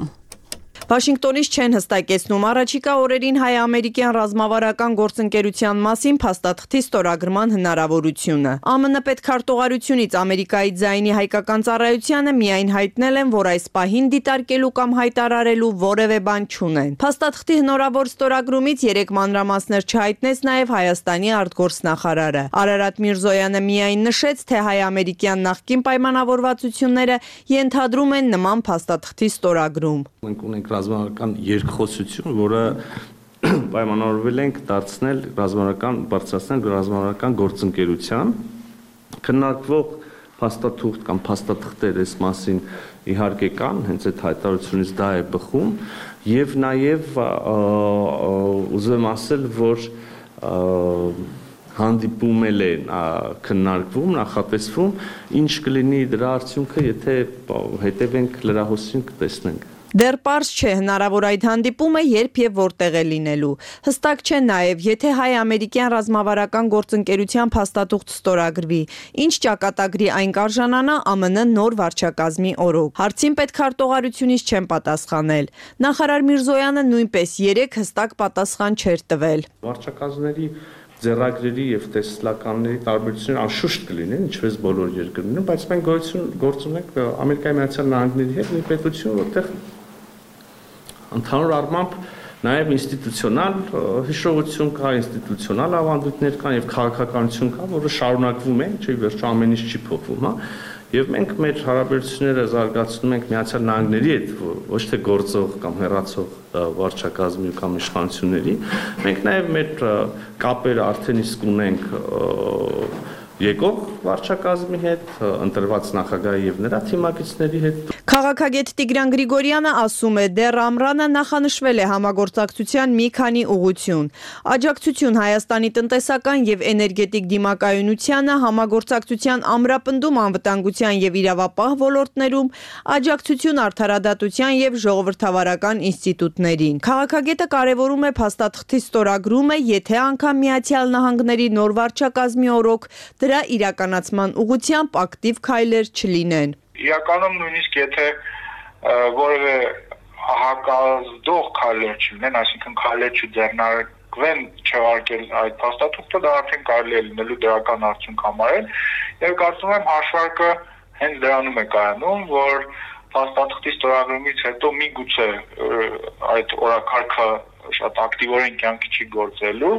Վաշինգտոնից չեն հստակեցնում առաջիկա օրերին հայ-ամերիկյան ռազմավարական գործընկերության մասին փաստաթղթի ստորագրման հնարավորությունը։ ԱՄՆ պետքարտուղարությունից Ամերիկայի ձայնի հայկական ծառայությանը միայն հայտնել են, որ այս պահին դիտարկելու կամ հայտարարելու որևէ բան չունեն։ Փաստաթղթի հնարավոր ստորագրումից 3 մանրամասներ չհայտնեց նաև Հայաստանի արտգործնախարարը։ Արարատ Միրզոյանը միայն նշեց, թե հայ-ամերիկյան նախկին պայմանավորվածությունները ենթադրում են նման փաստաթղթի ստորագրում։ Մենք ունենք ռազմական երկխոսություն, որը պայմանավորվել ենք բարձրացնել ռազմավարական գործընկերության, քննարկվող փաստաթուղթ կամ փաստաթղթեր այս մասին իհարկե կան, հենց այդ հայտարարությունից դա է բխում, եւ նաեւ ուզում ասել, որ հանդիպումել են քննարկվում, նախատեսվում, ինչ կլինի դրա արդյունքը, եթե հետևենք լրահոսին կտեսնենք։ Դեռ պարզ չէ հնարավոր այդ հանդիպումը երբ եւ որտեղ է լինելու։ Հստակ չէ նաեւ, եթե հայ-ամերիկյան ռազմավարական գործընկերության փաստաթուղթ ստորագրվի, ինչ ճակատագրի այն կարժանանա ԱՄՆ նոր վարչակազմի օրոք։ Հարցին պետքարտուղարությունից չեն պատասխանել։ Նախարար Միրզոյանը նույնպես 3 հստակ պատասխան չէր տվել։ Վարչակազմների ձեռագրերի եւ տեսլականների տարբերությունները անշուշտ կլինեն, ինչպես բոլոր երկրներում, բայց մենք գործ ունենք Ամերիկայի Միացյալ Նահանգների հետ մի պետություն, որտեղ ընդհանուր առմամբ նաև ինստիտուցիոնալ հիշողություն կա, ինստիտուցիոնալ ավանդույթներ կան եւ քաղաքականություն կա, որը շարունակվում է, չէ՞ վերջո ամեն ինչ չի փոխվում, հա։ Եվ մենք մեր հարաբերությունները զարգացնում ենք Միացյալ Նահանգների հետ, ոչ թե գործող կամ հեռացող վարչակազմի կամ իշխանությունների։ Մենք նաև մեր կապերը արդեն իսկ ունենք եկող վարչակազմի հետ, ընտրված նախագահի եւ նրա թիմակիցների հետ։ Քաղաքագետ Տիգրան Գրիգորյանը ասում է, դեռ ամռանը նախանշվել է համագործակցության մի քանի ուղղություն։ Աջակցություն Հայաստանի տնտեսական եւ էներգետիկ դիմակայունությանը, համագործակցության ամրապնդում անվտանգության եւ իրավապահ ոլորտներում, աջակցություն արդարադատության եւ ժողովրդավարական ինստիտուտներին։ Քաղաքագետը կարևորում է փաստաթղթի ստորագրումը, եթե անգամ Միացյալ Նահանգների նոր վարչակազմի օրոք դրա իրականացման ուղղությամբ ակտիվ քայլեր չլինեն։ Իրականում նույնիսկ եթե որևէ հակազդող քայլեր չլինեն, այսինքն քայլեր ձգվեն չհարկել այդ փաստաթուղթը, դա արդեն կարելի է լինելու դրական արդյունք համարել, եւ կարծում եմ հաշվարկը հենց դրանում է կայանում, որ փաստաթղթի ստորագրումից հետո միգուցե այդ օրակարգը շատ ակտիվորեն կյանքի չի գործելու,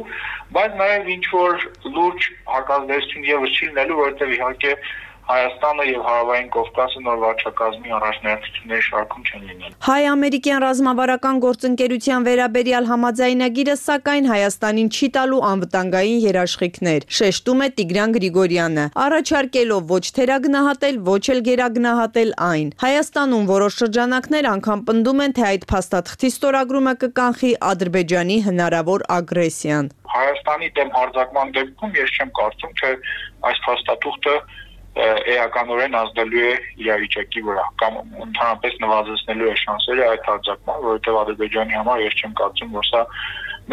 բայց նաև ինչ որ լուրջ հակազդեցություն եւս չի լինելու, որովհետեւ իհարկե Հայաստանը եւ Հարավային Կովկասը նոր վարչակազմի առաջնահերթությունների շարքում չեն լինել։ Հայ-ամերիկյան ռազմավարական գործընկերության վերաբերյալ համաձայնագիրը սակայն Հայաստանին չի տալու անվտանգային երաշխիքներ, շեշտում է Տիգրան Գրիգորյանը, առաջարկելով ոչ թերագնահատել, ոչ էլ գերագնահատել այն։ Հայաստանում որոշ շրջանակներ անգամ պնդում են, թե այդ փաստաթղթի ստորագրումը կկանխի Ադրբեջանի հնարավոր ագրեսիան։ Հայաստանի դեմ հարձակման դեպքում ես չեմ կարծում, թե այս փաստաթուղթը էականորեն ազդելու է իրավիճակի վրա կամ ընդհանրապես նվազեցնելու է շանսերը այդ հարձակման, որովհետև Ադրբեջանի համար ես չեմ կարծում, որ սա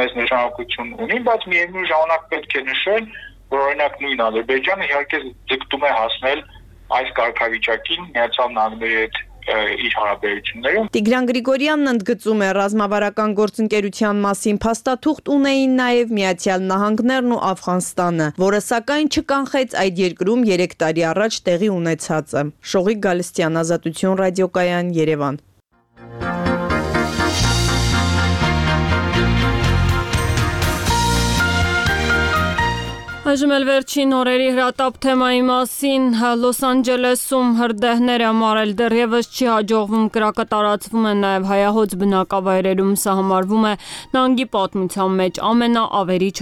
մեծ նշանակություն ունի, բայց միևնույն ժամանակ պետք է նշել, որ օրինակ նույն Ադրբեջանը իհարկե ձգտում է հասնել այս կարգավիճակին Միացյալ Նահանգների հետ իր հարաբերություններում։ Տիգրան Գրիգորյանն ընդգծում է, ռազմավարական գործընկերության մասին փաստաթուղթ ունեին նաև Միացյալ Նահանգներն ու Աֆղանստանը, որը սակայն չկանխեց այդ երկրում 3 տարի առաջ տեղի ունեցածը։ Շողիկ Գալստյան, Ազատություն ռադիոկայան, Երևան։ Այժմ էլ վերջին օրերի հրատապ թեմայի մասին Լոս Անջելեսում հրդեհները մարել դեռևս չի հաջողվում, կրակը տարածվում է նաև հայահոծ բնակավայրերում, սա համարվում է նահանգի պատմության մեջ ամենաավերիչ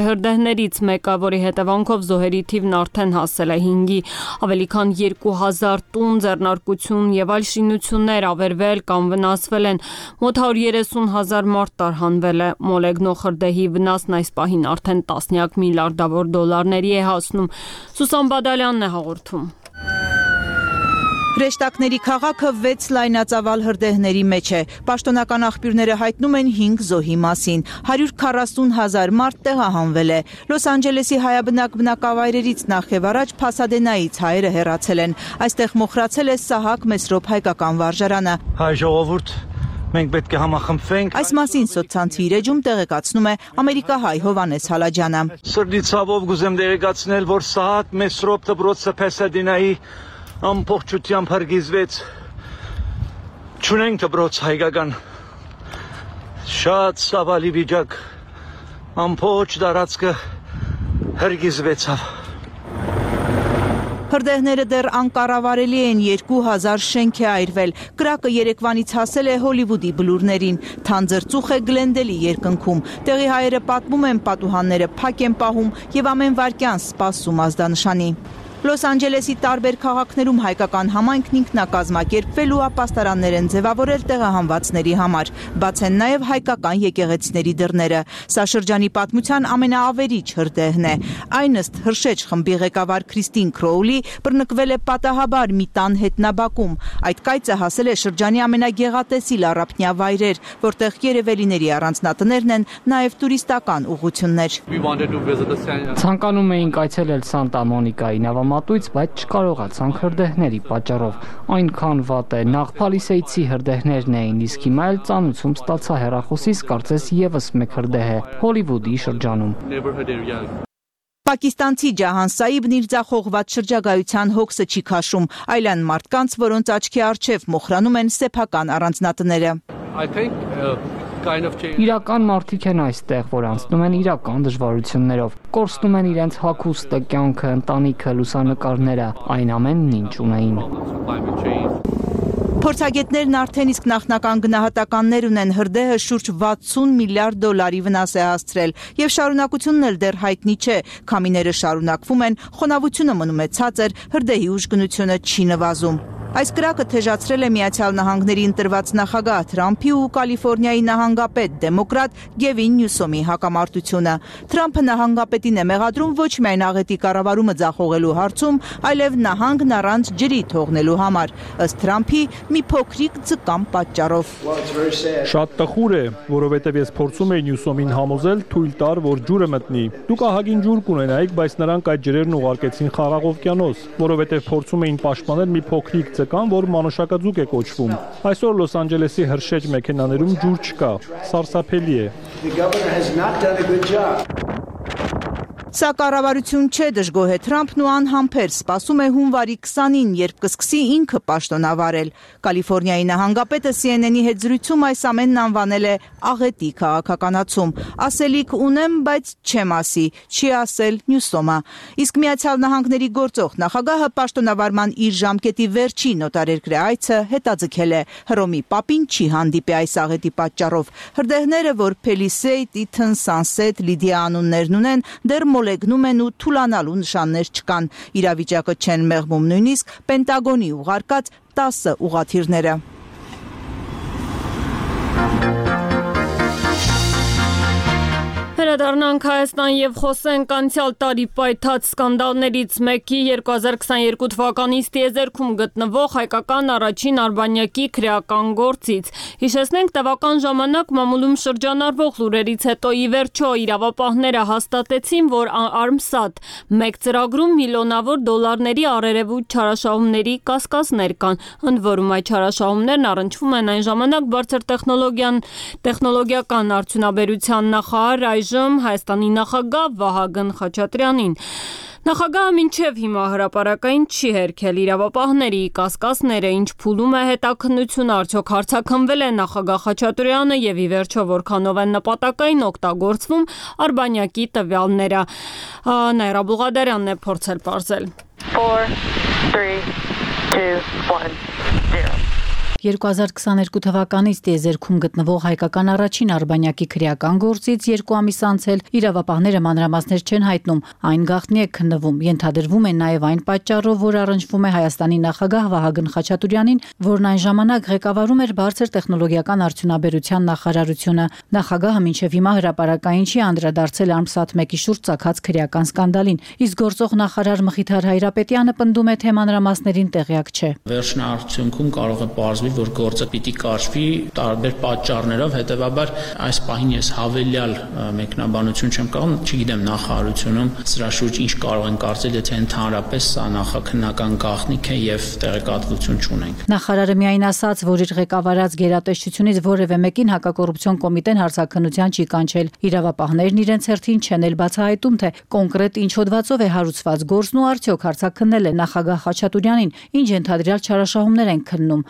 հրդեհներից մեկը, որի հետևանքով զոհերի թիվն արդեն հասել է 5-ի, ավելի քան 2000 տուն, ձեռնարկություն եւ այլ շինություններ ավերվել կամ վնասվել են, մոտ 130,000 մարդ տարհանվել է, մոլեգնող հրդեհի վնասն այս պահին արդեն տասնյակ միլիարդավոր դոլարների է հասնում։ Սուսան Բադալյանն է հաղորդում։ Հրեշտակների քաղաքը 6 լայնածավալ հրդեհների մեջ է։ Պաշտոնական աղբյուրները հայտնում են 5 զոհի մասին։ 140,000 մարդ տեղահանվել է։ Լոս Անջելեսի հայաբնակ բնակավայրերից նախ եւ առաջ Փասադենայից հայերը հեռացել են։ Այստեղ մոխրացել է Սահակ Մեսրոպ հայկական վարժարանը։ Հայ ժողովուրդ, մենք պետք է համախմբվենք։ Այս մասին սոցցանցի իրեջում տեղեկացնում է ամերիկահայ Հովանես Հալաջյանը։ Սրտի ցավով կուզեմ տեղեկացնել, որ Սահակ Մեսրոպ դպրոցը Փասադենայի ամբողջությամբ հրգիզվեց։ Չունենք դպրոց հայկական։ Շատ ցավալի վիճակ։ Ամբողջ տարածքը հրգիզվեցավ։ Հրդեհները դեռ անկառավարելի են, 2000 շենք է այրվել։ Կրակը երեկվանից հասել է Հոլիվուդի բլուրներին։ Թանձր ծուխ է Գլենդելի երկնքում։ Տեղի հայերը պատմում են, պատուհանները փակ են պահում եւ ամեն վայրկյան սպասում ազդանշանի։ Լոս Անջելեսի տարբեր քաղաքներում հայկական համայնքն ինքնակազմակերպվել ու ապաստարաններ են ձևավորել տեղահանվածների համար, բաց են նաև հայկական եկեղեցիների դռները։ Սա շրջանի պատմության ամենաավերիչ հրդեհն է։ Այն ըստ Հրշեջ խմբի ղեկավար Քրիստին Քրոուլի բռնկվել է պատահաբար մի տան հետնաբակում։ Այդ կայծը հասել է շրջանի ամենագեղատեսիլ առափնյա վայրեր, որտեղ երևելիների առանձնատներն են, նաև տուրիստական ուղղություններ։ Ցանկանում էինք այցելել Սանտա Մոնիկայի նավամատույց, բայց չկարողացանք հրդեհների պատճառով։ Այնքան վատ է, նախ Փալիսեյցի հրդեհներն էին, իսկ հիմա էլ ծանուցում ստացա հեռախոսից, կարծես եւս մեկ հրդեհ է Հոլիվուդի շրջանում։ Պակիստանցի Ջահան Սաիբն իր ձախողված շրջագայության հոգսը չի քաշում, այլ այն մարդկանց, որոնց աչքի առջև մոխրանում են սեփական առանձնատները։ Իրական մարդիկ են այստեղ, որ անցնում են իրական դժվարություններով, կորցնում են իրենց հագուստը, կյանքը, ընտանիքը, լուսանկարները, այն ամենն ինչ ունեին։ Փորձագետներն արդեն իսկ նախնական գնահատականներ ունեն, հրդեհը շուրջ 60 միլիարդ դոլարի վնաս է հասցրել եւ շարունակությունն էլ դեռ հայտնի չէ, քամիները շարունակվում են, խոնավությունը մնում է ցածր, հրդեհի ուժգնությունը չի նվազում։ Այս կրակը թեժացրել է Միացյալ Նահանգների ընտրված նախագահ Թրամփի ու Կալիֆոռնիայի նահանգապետ դեմոկրատ Գևին Նյուսոմի հակամարտությունը։ Թրամփը նահանգապետին է մեղադրում ոչ միայն աղետի կառավարումը ձախողելու հարցում, այլև նահանգն առանց ջրի թողնելու համար, ըստ Թրամփի մի փոքրիկ ձկան պատճառով։ Շատ տխուր է, որովհետև ես փորձում էի Նյուսոմին համոզել թույլ տար, որ ջուրը մտնի։ Դուք ահագին ջուր կունենայիք, բայց նրանք այդ ջրերն ուղարկեցին Խաղաղ օվկիանոս, որովհետև փորձում էին պաշտպանել մի փոքրիկ մեկը կան, որ մանուշակաձուկ է կոչվում։ Այսօր Լոս Անջելեսի հրշեջ մեքենաներում ջուր չկա, սարսափելի է։ Սա կառավարություն չէ, դժգոհ է Թրամփն ու անհամբեր սպասում է հունվարի 20-ին, երբ կսկսի ինքը պաշտոնավարել։ Կալիֆոռնիայի նահանգապետը CNN-ի հետ զրույցում այս ամենն անվանել է աղետի քաղաքականացում։ Ասելիք ունեմ, բայց չեմ ասի, չի ասել Նյուսոմը։ Իսկ Միացյալ Նահանգների գործող նախագահը պաշտոնավարման իր ժամկետի վերջին օտարերկրյա այցը հետաձգել է։ Հռոմի պապին չի հանդիպի այս աղետի պատճառով։ Հրդեհները, որ Palisade, Eaton, Sunset, Lydia անուններն ունեն, դեռ մոլեգնում են ու թուլանալու նշաններ չկան։ Իրավիճակը չեն մեղմում նույնիսկ Պենտագոնի ուղարկած 10 ուղղաթիռները։ Վերադառնանք Հայաստան եւ խոսենք անցյալ տարի պայթած սկանդալներից մեկի 2022 թվականից տիեզերքում գտնվող հայկական առաջին արբանյակի քրեական գործից։ Հիշեցնենք, տևական ժամանակ մամուլում շրջանառվող լուրերից հետո ի վերջո իրավապահները հաստատեցին, որ Armsat 1 ծրագրում միլիոնավոր դոլարների առերևույթ չարաշահումների կասկածներ կան։ Ընդ որում այդ չարաշահումներն առնչվում են այն ժամանակ բարձր տեխնոլոգիական արդյունաբերության նախարար Հայաստանի նախագահ Վահագն Խաչատրյանին։ Նախագահը մինչև հիմա հրապարակային չի հերքել իրավապահների կասկածները, ինչ փուլում է հետաքննությունը, արդյոք հարձակվել է նախագահ Խաչատրյանը եւ ի վերջո որքանով են նպատակային օգտագործվում արբանյակի տվյալները։ Նաիրա Բուղադարյանն է փորձել պարզել։ 4 3 2 1 0 2022 թվականից տիեզերքում գտնվող հայկական առաջին արբանյակի քրեական գործից 2 ամիս անցել իրավապահները մանրամասներ չեն հայտնում, այն գաղտնի է քննվում, ենթադրվում է նաև այն պատճառով, որ առնչվում է Հայաստանի նախագահ Վահագն Խաչատրյանին, որն այն ժամանակ ղեկավարում էր բարձր տեխնոլոգիական արդյունաբերության նախարարությունը։ Նախագահը մինչև հիմա հրապարակային չի անդրադարձել Armsat 1-ի շուրջ ծագած քրեական սկանդալին, իսկ գործող նախարար Մխիթար Հայրապետյանը պնդում է, թե մանրամասներին տեղյակ չէ։ Վերջնարդյունքում կարող է պարզվել, որ գործը պիտի կարճվի տարբեր պատճառներով, հետևաբար այս պահին ես հավելյալ մեկնաբանություն չեմ կարող, չգիտեմ նախարարությունում սրա շուրջ ինչ կարող են կարծել, եթե ընդհանրապես սա նախաքննական գաղտնիք է եւ տեղեկատվություն չունենք։ Նախարարը միայն ասաց, որ իր ղեկավարած գերատեսչությունից որևէ մեկին հակակոռուպցիոն կոմիտեն հարցաքննության չի կանչել։ Իրավապահներն իրենց հերթին չեն էլ բացահայտում, թե կոնկրետ ինչ հոդվածով է հարուցված գործն ու արդյոք հարցաքննել է նախագահ Խաչատրյանին, ինչ ընդհանրյալ չարաշահումներ են քննում։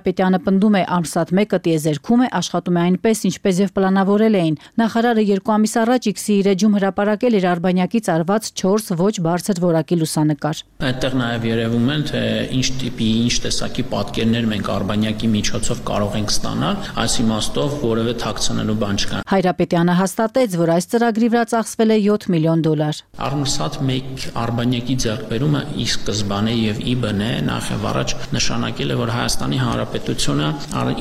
Հայրապետյանը պնդում է Armsat 1-ը տիեզերքում է, աշխատում է այնպես, ինչպես եւ պլանավորել էին։ Նախարարը 2 ամիս առաջ X-ի իր էջում հրապարակել էր արբանյակից արված 4 ոչ բարձր որակի լուսանկար։ Այդտեղ նաեւ երևում են, թե ինչ տիպի, ինչ տեսակի պատկերներ մենք արբանյակի միջոցով կարող ենք ստանալ, այս իմաստով որևէ թաքցնելու բան չկա։ Հայրապետյանը հաստատեց, որ այս ծրագրի վրա ծախսվել է $7 միլիոն։ Armsat 1 արբանյակի ձեռքբերումը ի սկզբանե եւ ի բնե նախ եւ առաջ նշանակել է, որ Հայաստանի Հանրապետությունը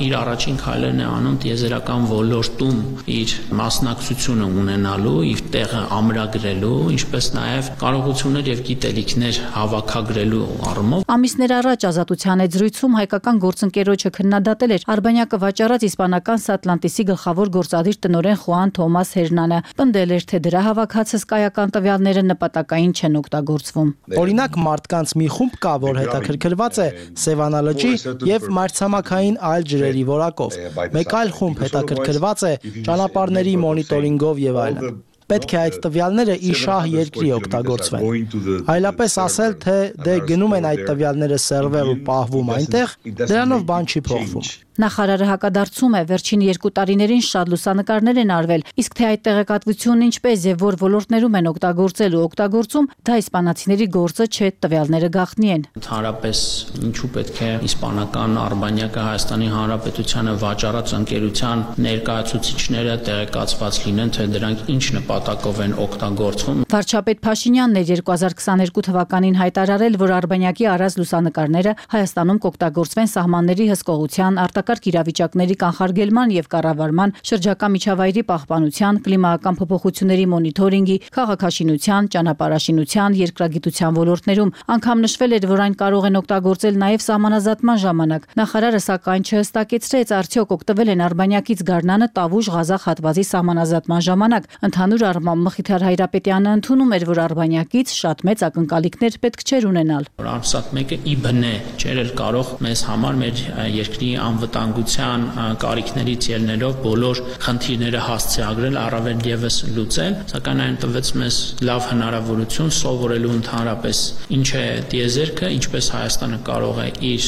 իր առաջին քայլերն է անում տիեզերական ոլորտում իր մասնակցությունը ունենալու, իր տեղը ամրագրելու, ինչպես նաև կարողություններ եւ գիտելիքներ հավաքագրելու առումով։ Ամիսներ առաջ Ազատության հետ զրույցում հայկական գործընկերոջը քննադատել էր արբանյակը վաճառած իսպանական Սատլանտիսի գլխավոր գործադիր տնօրեն Խուան Թոմաս Հերնանը, պնդել էր, թե դրա հավաքած հսկայական տվյալները նպատակային չեն օգտագործվում։ Օրինակ մարդկանց մի խումբ կա, որ հետաքրքրված է Սևանա լճի եւ մայրցամաքային այլ ջրերի որակով։ Մեկ այլ խումբ հետաքրքրված է ճանապարհների մոնիտորինգով եւ այլն։ Պետք է այդ տվյալները իշահ երկրի օգտագործվեն։ Այլապես ասել, թե դե գնում են այդ տվյալները սերվեր ու պահվում այնտեղ, դրանով բան չի փոխվում։ Նախարարը հակադարձում է, վերջին 2 տարիներին շատ լուսանկարներ են արվել, իսկ թե այդ տեղեկատվությունն ինչպես եւ որ ոլորտներում են օգտագործել ու օգտագործում, դա իսպանացիների գործը չէ, տվյալները գաղտնի են։ Ընդհանրապես ինչու պետք է իսպանական արբանյակը Հայաստանի Հանրապետությանը վաճառած ընկերության ներկայացուցիչները տեղեկացված լինեն, թե դրանք ինչ նպատակով են օգտագործվում։ Վարչապետ Փաշինյանն էր 2022 թվականին հայտարարել, որ արբանյակի առած լուսանկարները Հայաստանում կօգտագործվեն սահմանների հսկողության, արտակարգ իրավիճակների կանխարգելման եւ կառավարման, շրջակա միջավայրի պահպանության, կլիմայական փոփոխությունների մոնիթորինգի, քաղաքաշինության, ճանապարհաշինության, երկրագիտության ոլորտներում։ Անգամ նշվել էր, որ այն կարող են օգտագործել նաեւ սահմանազատման ժամանակ։ Նախարարը սակայն չհստակեցրեց, արդյոք օգտվել են արբանյակից գարնանը Տավուշ-Ղազախ հատվածի սահմանազատման ժամանակ։ Ընդհանուր առմամբ Մխիթար Հայրապետյանը ընդունում էր, որ Արբանյակից շատ մեծ ակնկալիքներ պետք չէր ունենալ։ Արմսատ 1-ը ի բնե չէր էլ կարող մեզ համար մեր երկրի անվտանգության կարիքներից ելնելով բոլոր խնդիրները հասցեագրել, առավել եւս լուծել, սակայն այն տվեց մեզ լավ հնարավորություն սովորելու ընդհանրապես ինչ է տիեզերքը, ինչպես Հայաստանը կարող է իր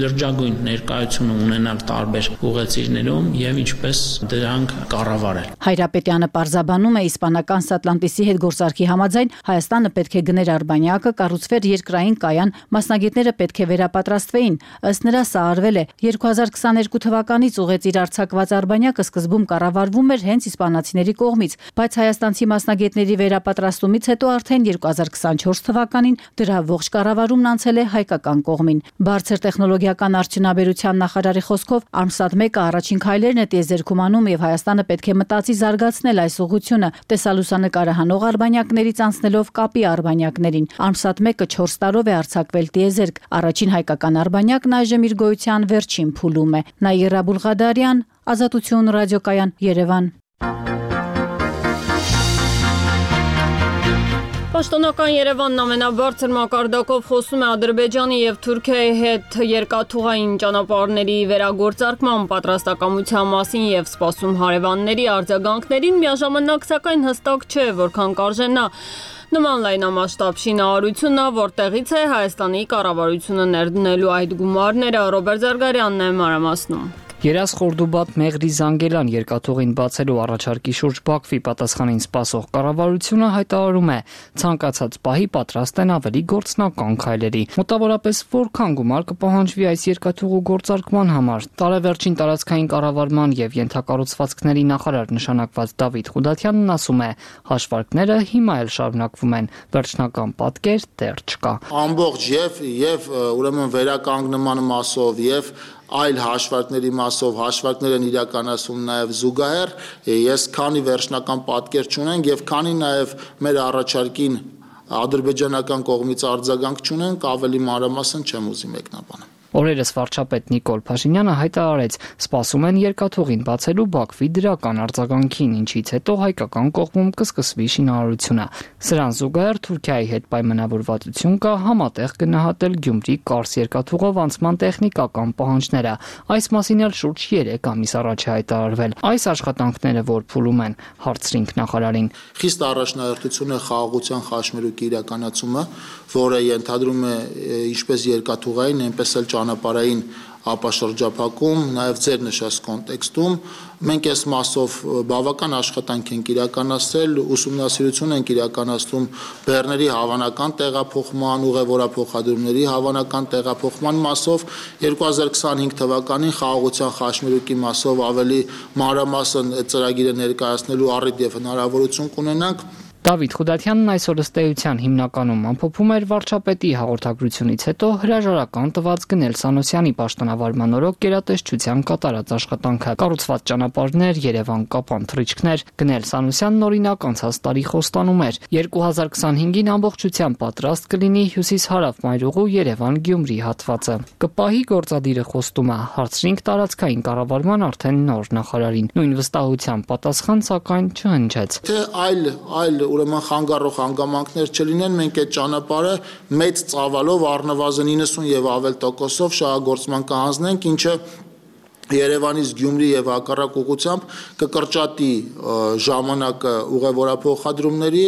լրջագույն ներկայությունը ունենալ տարբեր ուղեցիրներում եւ ինչպես դրանք կառավարել։ Հայրապետյանը պարզաբանում է իսպանական Սատլանտիսի հետ գործարքի համաձայն Հայաստանը պետք է գներ Արբանյակը, կառուցվեր երկրային կայան, մասնագետները պետք է վերապատրաստվեին։ Ըստ նրա սա արվել է 2022 թվականից ուղեցիր արձակված Արբանյակը սկզբում կառավարվում էր հենց իսպանացիների կողմից, բայց հայաստանցի մասնագետների վերապատրաստումից հետո արդեն 2024 թվականին դրա ողջ կառավարումն անցել է հայկական կողմին։ Բարձր տեխնոլոգիական արդյունաբերության նախարարի խոսքով Արմսատ 1-ը առաջին քայլերն է տիեզերքում անում եւ Հայաստանը պետք է մտածի զարգացնել այս ուղղությունը, տեսալուսանկարը հանող արբանյակներից անցնելով կապի արբանյակներին։ Արմսատ 1-ը 4 տարով է արձակվել տիեզերք։ Առաջին հայկական արբանյակն այժմ իր գոյության վերջին փուլում է։ Նաիրա Բուլղադարյան, Ազատություն ռադիոկայան, Երևան։ Պաշտոնական Երևանն ամենաբարձր մակարդակով խոսում է Ադրբեջանի եւ Թուրքիայի հետ երկաթուղային ճանապարհների վերագործարկման պատրաստակամության մասին եւ սպասում հարևանների արձագանքներին, միաժամանակ սակայն հստակ չէ, որքան կարժենա նման լայնամասշտաբ շինարարությունը, որտեղից է Հայաստանի կառավարությունը ներդնելու այդ գումարները։ Ռոբերտ Զարգարյանն է մանրամասնում։ Երաս Խորդուբադ Մեղրի Զանգելան երկաթուղին բացելու առաջարկի շուրջ Բաքվի պատասխանին սպասող կառավարությունը հայտարարում է ցանկացած պահի պատրաստ են ավելի գործնական քայլերի։ Մոտավորապես որքան գումար կպահանջվի այս երկաթուղու գործարկման համար։ Տարեվերջին տարածքային կառավարման եւ ենթակառուցվածքների նախարար նշանակված Դավիթ Խուդատյանն ասում է, հաշվարկները հիմա էլ շարունակվում են, վերջնական պատկեր դեռ չկա։ Ամբողջ եւ ուրեմն վերականգնման մասով եւ այլ հաշվարկների մասով հաշվարկներ են իրականացում նաև զուգահեռ, ես քանի վերջնական պատկեր չունենք եւ քանի նաև մեր առաջարկին ադրբեջանական կողմից արձագանք չունենք, ավելի մանրամասն չեմ ուզի մեկնաբանել։ Օրերս վարչապետ Նիկոլ Փաշինյանը հայտարարեց, սպասում են երկաթուղին բացելու Բաքվի դրական արձագանքին, ինչից հետո հայկական կողմում կսկսվի շինարարությունը։ Սրան զուգահեռ Թուրքիայի հետ պայմանավորվածություն կա համատեղ գնահատել Գյումրի-Կարս երկաթուղով անցման տեխնիկական պահանջները։ Այս մասին էլ շուրջ 3 ամիս առաջ է հայտարարվել։ Այս աշխատանքները որ փուլում են, հարցրինք նախարարին։ Խիստ առաջնահերթություն է խաղաղության խաչմերուկի իրականացումը, որը ենթադրում է ինչպես երկաթուղային, այնպես էլ ճանապարհային ապաշրջափակում, նաև ձեր նշած կոնտեքստում մենք այս մասով բավական աշխատանք ենք իրականացրել, ուսումնասիրություն ենք իրականացնում բեռների հավանական տեղափոխման, ուղևորափոխադրումների հավանական տեղափոխման մասով 2025 թվականին խաղաղության խաչմերուկի մասով ավելի մանրամասն ծրագիրը ներկայացնելու առիթ եւ հնարավորություն կունենանք։ Դավիթ Խուդատյանն այսօր ըստ էության հիմնականում ամփոփում էր վարչապետի հաղորդագրությունից հետո հրաժարական տված Գնել Սանոսյանի պաշտոնավարման օրոք գերատեսչության կատարած աշխատանքը։ Կառուցված ճանապարհներ, Երևան-Կապան թռիչքներ, Գնել Սանոսյանն օրինակ անցած տարի խոստանում էր 2025-ին ամբողջությամբ պատրաստ կլինի հյուսիս-հարավ մայրուղու Երևան-Գյումրի հատվածը։ Կպահի գործադիրը խոստում է, հարցրինք տարածքային կառավարման արդեն նոր նախարարին։ Նույն վստահությամբ պատասխան սակայն չհնչեց։ Թե այլ ուրեմն խանգարող հանգամանքներ չլինեն, մենք այդ ճանապարհը մեծ ծավալով առնվազն 90 եւ ավել տոկոսով շահագործման կհանձնենք, ինչը Երևանից Գյումրի եւ հակառակ ուղղությամբ կկրճատի ժամանակը ուղևորափոխադրումների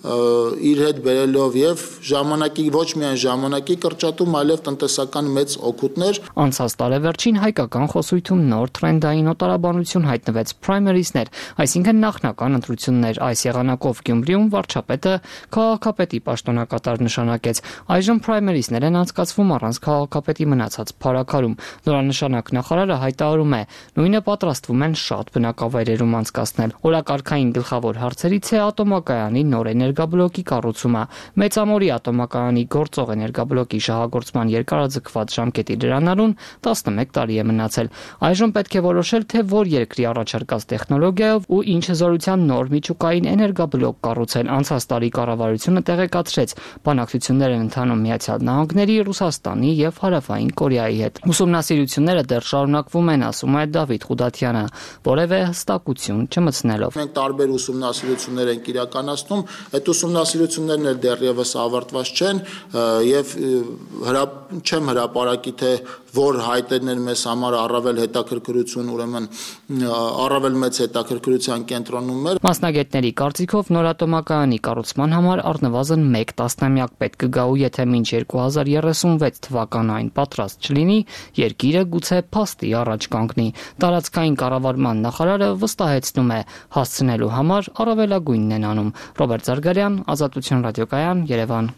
իր հետ բերելով եւ ժամանակի ոչ միայն ժամանակի կրճատում, այլև տնտեսական մեծ օգուտներ։ Անցած տարեվերջին հայկական խոսույթում նոր տրենդային օտարաբանություն հայտնվեց primaries-ներ, այսինքն նախնական ընտրություններ։ Այս եղանակով Գյումրիում վարչապետը քաղաքապետի պաշտոնակատար նշանակեց։ Այժմ primaries-ներ են անցկացվում առանց քաղաքապետի մնացած փառաքարում։ Նորանշանակ նախարարը հայտարարում է, նույնը պատրաստվում են շատ բնակավայրերում անցկացնել։ Օրակարգային գլխավոր հարցերից է ատոմակայանի նոր էներգիա էներգաբլոկի կառուցումը։ Մեծամորի ատոմակայանի գործող էներգաբլոկի շահագործման երկարաձգված ժամկետի լրանալուն 11 տարի է մնացել։ Այժմ պետք է որոշել, թե որ երկրի առաջարկած տեխնոլոգիայով ու ինչ հզորության նոր միջուկային էներգաբլոկ կառուցել։ Անցած տարի կառավարությունը տեղեկացրեց, բանակցություններ են ընթանում Միացյալ Նահանգների, Ռուսաստանի եւ Հարավային Կորեայի հետ։ Ուսումնասիրությունները դեռ շարունակվում են, ասում է Դավիթ Խուդատյանը, որևէ հստակություն չմտցնելով։ Մենք տարբեր ուսումնասիրություններ ենք իրականացնում, այդ ուսումնասիրություններն էլ դեռևս ավարտված չեն եւ չեմ հրապարակի թե որ հայտերն են մեզ համար առավել հետաքրքրություն, ուրեմն առավել մեծ հետաքրքրության կենտրոնում էր։ Մասնագետների կարծիքով նոր ատոմակայանի կառուցման համար առնվազն 1 տասնամյակ պետք կգա ու եթե մինչ 2036 թվականը այն պատրաստ չլինի, երկիրը գուցե փաստի առաջ կանգնի։ Տարածքային կառավարման նախարարը վստահեցնում է, հասցնելու համար առավելագույնն են անում։ Ռոբերտ Զարգարյան, Ազատություն ռադիոկայան, Երևան։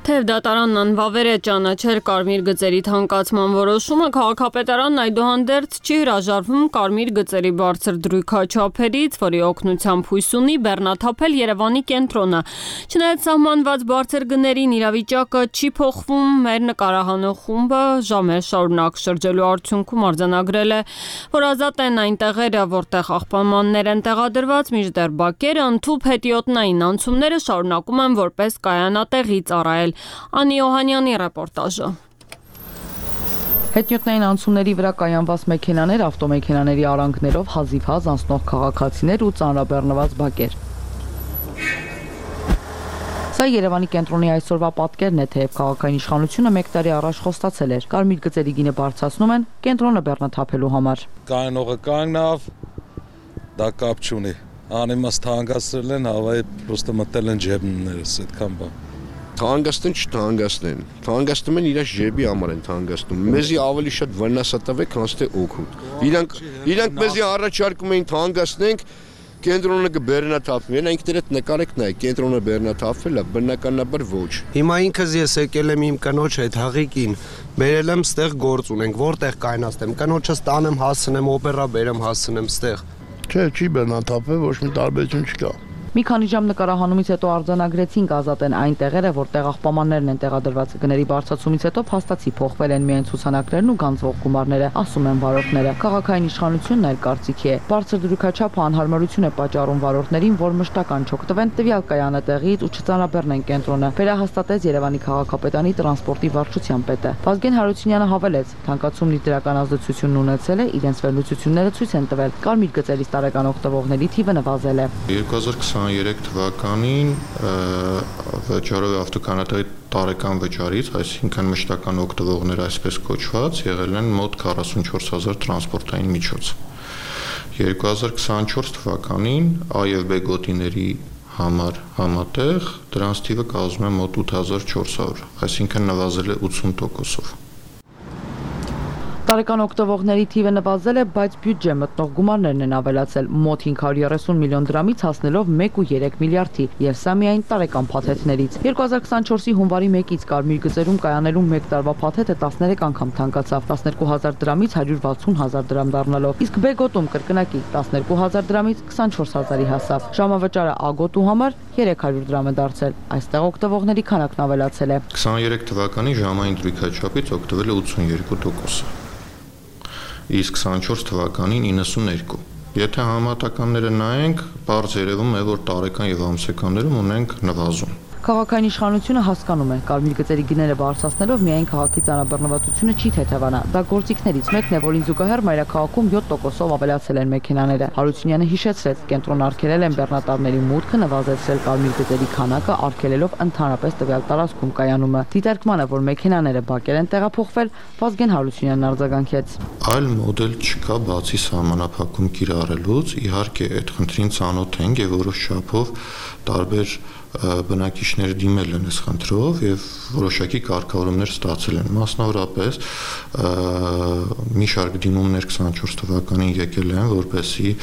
Թեև դատարանն անվավեր է ճանաչել կարմիր գծերի թանկացման որոշումը, քաղաքապետարանն այդուհանդերձ չի հրաժարվում կարմիր գծերի բարձր դրույքաչափերից, որի օգնությամբ հույս ունի բեռնաթափել Երևանի կենտրոնը։ Չնայած սահմանված բարձր գներին իրավիճակը չի փոխվում, մեր նկարահանող խումբը ժամեր շարունակ շրջելու արդյունքում արձանագրել է, որ ազատ են այն տեղերը, որտեղ աղբամաններ են տեղադրված, մինչդեռ բակերը, ընդհուպ հետիոտնային անցումները շարունակում են որպես կայանատեղի ծառայել։ Անի Օհանյանի ռեպորտաժը։ Հետիոտնային անցումների վրա կայանված մեքենաներ, ավտոմեքենաների արանքներով հազիվ-հազ անցնող քաղաքացիներ ու ծանրաբեռնված բակեր։ Սա Երևանի կենտրոնի այսօրվա պատկերն է, թեև քաղաքային իշխանությունը 1 տարի առաջ խոստացել էր, կարմիր գծերի գինը բարձրացնում են կենտրոնը բեռնաթափելու համար։ Կայանողը կանգնավ, դա կապ չունի։ Անիմաստ հանգացրել են, հավայի պրոստը մտել են ջեբներս, այդքան բան։ Թանկացնեն չթանկացնեն, թանկացնում են իրաց ջեբի համար են թանկացնում։ Մեզի ավելի շատ վնաս տվեք, քան թե օգուտ։ Իրանք մեզի առաջարկում էին թանկացնենք, կենտրոնը կբեռնաթափվի։ Այնքներ այդ նկարեք նայեք, կենտրոնը բեռնաթափվել է, բնականաբար ոչ։ Հիմա ինքս ես եկել եմ իմ կնոջ հետ հաղիկին, բերել եմ ստեղ գործ ունենք, որտեղ կայնացնեմ, կնոջս տանեմ հասցնեմ, օպերա բերեմ հասցնեմ ստեղ։ Չէ, չի բեռնաթափվել, ոչ մի տարբերություն չկա։ Մի քանի ժամ նկարահանումից հետո արձանագրեցինք ազատ են այն տեղերը, որտեղ աղբամաններն են տեղադրված։ Գների բարձրացումից հետո փաստացի փոխվել են միայն ցուցանակներն ու գանձվող գումարները, ասում են վարորդները։ Քաղաքային իշխանությունն այլ կարծիքի է։ Բարձր դրույքաչափը անհարմարություն է պատճառում վարորդներին, որ մշտական չօգտվեն տվյալ կայանատեղից ու չծանրաբեռնեն կենտրոնը, վերահաստատեց Երևանի քաղաքապետարանի տրանսպորտի վարչության պետը։ Վազգեն Հարությունյանը հավելեց, թանկացումն իր դրական ազդեցությունն ունեցել է, իրենց վերլուծությունները ցույց են տվել, կարմիր գծերից տարեկան օգտվողների թիվը նվազել է։ 2023 թվականին վճարով ավտոկանատերի տարեկան վճարից, այսինքն մշտական օգտվողներ այսպես կոչված, եղել են մոտ 44000 տրանսպորտային միջոց։ 2024 թվականին A եւ B գոտիների համար համատեղ դրանց թիվը կազմում է մոտ 8400, այսինքն նվազել է 80%-ով։ Տարեկան օգտվողների թիվը նվազել է, բայց բյուջե մտնող գումարներն են ավելացել մոտ 530 միլիոն դրամից հասնելով 1.3 միլիարդի, եւ սա միայն տարեկան փաթեթներից։ 2024-ի հունվարի 1-ից կարմիր գծերում կայանելու 1 տարվա փաթեթը 13 անգամ թանկացավ, 12000 դրամից 160000 դրամ դառնալով, իսկ B գոտում կրկնակի 12000 դրամից 24000-ի հասավ։ Ժամավճարը A գոտու համար 300 դրամ է դարձել։ Այստեղ օգտվողների քանակն ավելացել է։ 23 թվականի ժամային դրույքաչափից օգտվել է 82%։ Իսկ 24 թվականին 92։ Եթե համատականները նայենք, բարձ երևում է, որ տարեկան եւ ամսեկաններում ունենք նվազում։ Քաղաքային իշխանությունը հասկանում է, կարմիր գծերի գները բարձրացնելով միայն քաղաքի ծանրաբեռնվածությունը չի թեթևանա։ Դա գործիքներից մեկն է, որին զուգահեռ մայրաքաղաքում 7%-ով ավելացել են մեքենաները։ Հարությունյանը հիշեցրեց, կենտրոն արգելել են բեռնատարների մուտքը, նվազեցրել կարմիր գծերի քանակը, արգելելով ընդհանրապես տվյալ տարածքում կայանումը։ Դիտարկմանը, որ մեքենաները բակեր են տեղափոխվել, Վազգեն Հարությունյանն արձագանքեց։ Այլ մոդել չկա բացի սահմանափակում կիրառելուց, իհարկե այդ խնդրին ծանոթ ենք եւ որոշ չափով տարբեր բնակիչները դիմել են այս խնդրով եւ որոշակի կարգավորումներ ստացել են։ Մասնավորապես մի շարք դիմումներ 24 թվականին եկել են, որպեսզի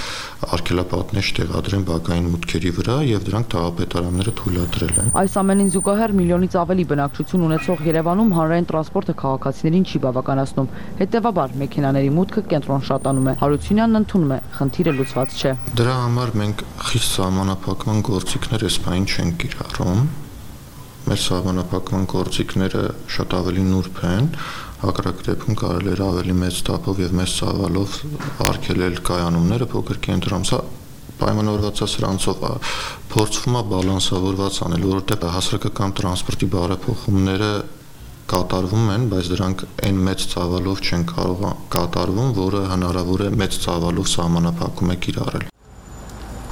արգելապատնեշ տեղադրեն բակային մուտքերի վրա եւ դրանք թաղապետարանները թույլատրել են։ Այս ամենին զուգահեռ միլիոնից ավելի բնակչություն ունեցող Երևանում հանրային տրանսպորտը քաղաքացիներին չի բավականացնում։ Հետևաբար մեքենաների մուտքը կենտրոն շատանում է։ Հարությունյանն ընդունում է, խնդիրը լուծված չէ։ Դրա համար մենք խիստ սահմանափակման գործիքներ այս պահին չենք կիրառում։ Մեր սահմանափակման գործիքները շատ ավելի նուրբ են, հակառակ դեպքում կարելի է ավելի մեծ տափով եւ մեծ ծավալով արգելել կայանումները փոքր կենտրոնում։ Սա պայմանավորված է սրանցով, փորձվում է բալանսավորված անել, որովհետեւ հասարակական տրանսպորտի բարեփոխումները կատարվում են, բայց դրանք այն մեծ ծավալով չեն կարող կատարվում, որը հնարավոր է մեծ ծավալով սահմանափակում է կիրառել։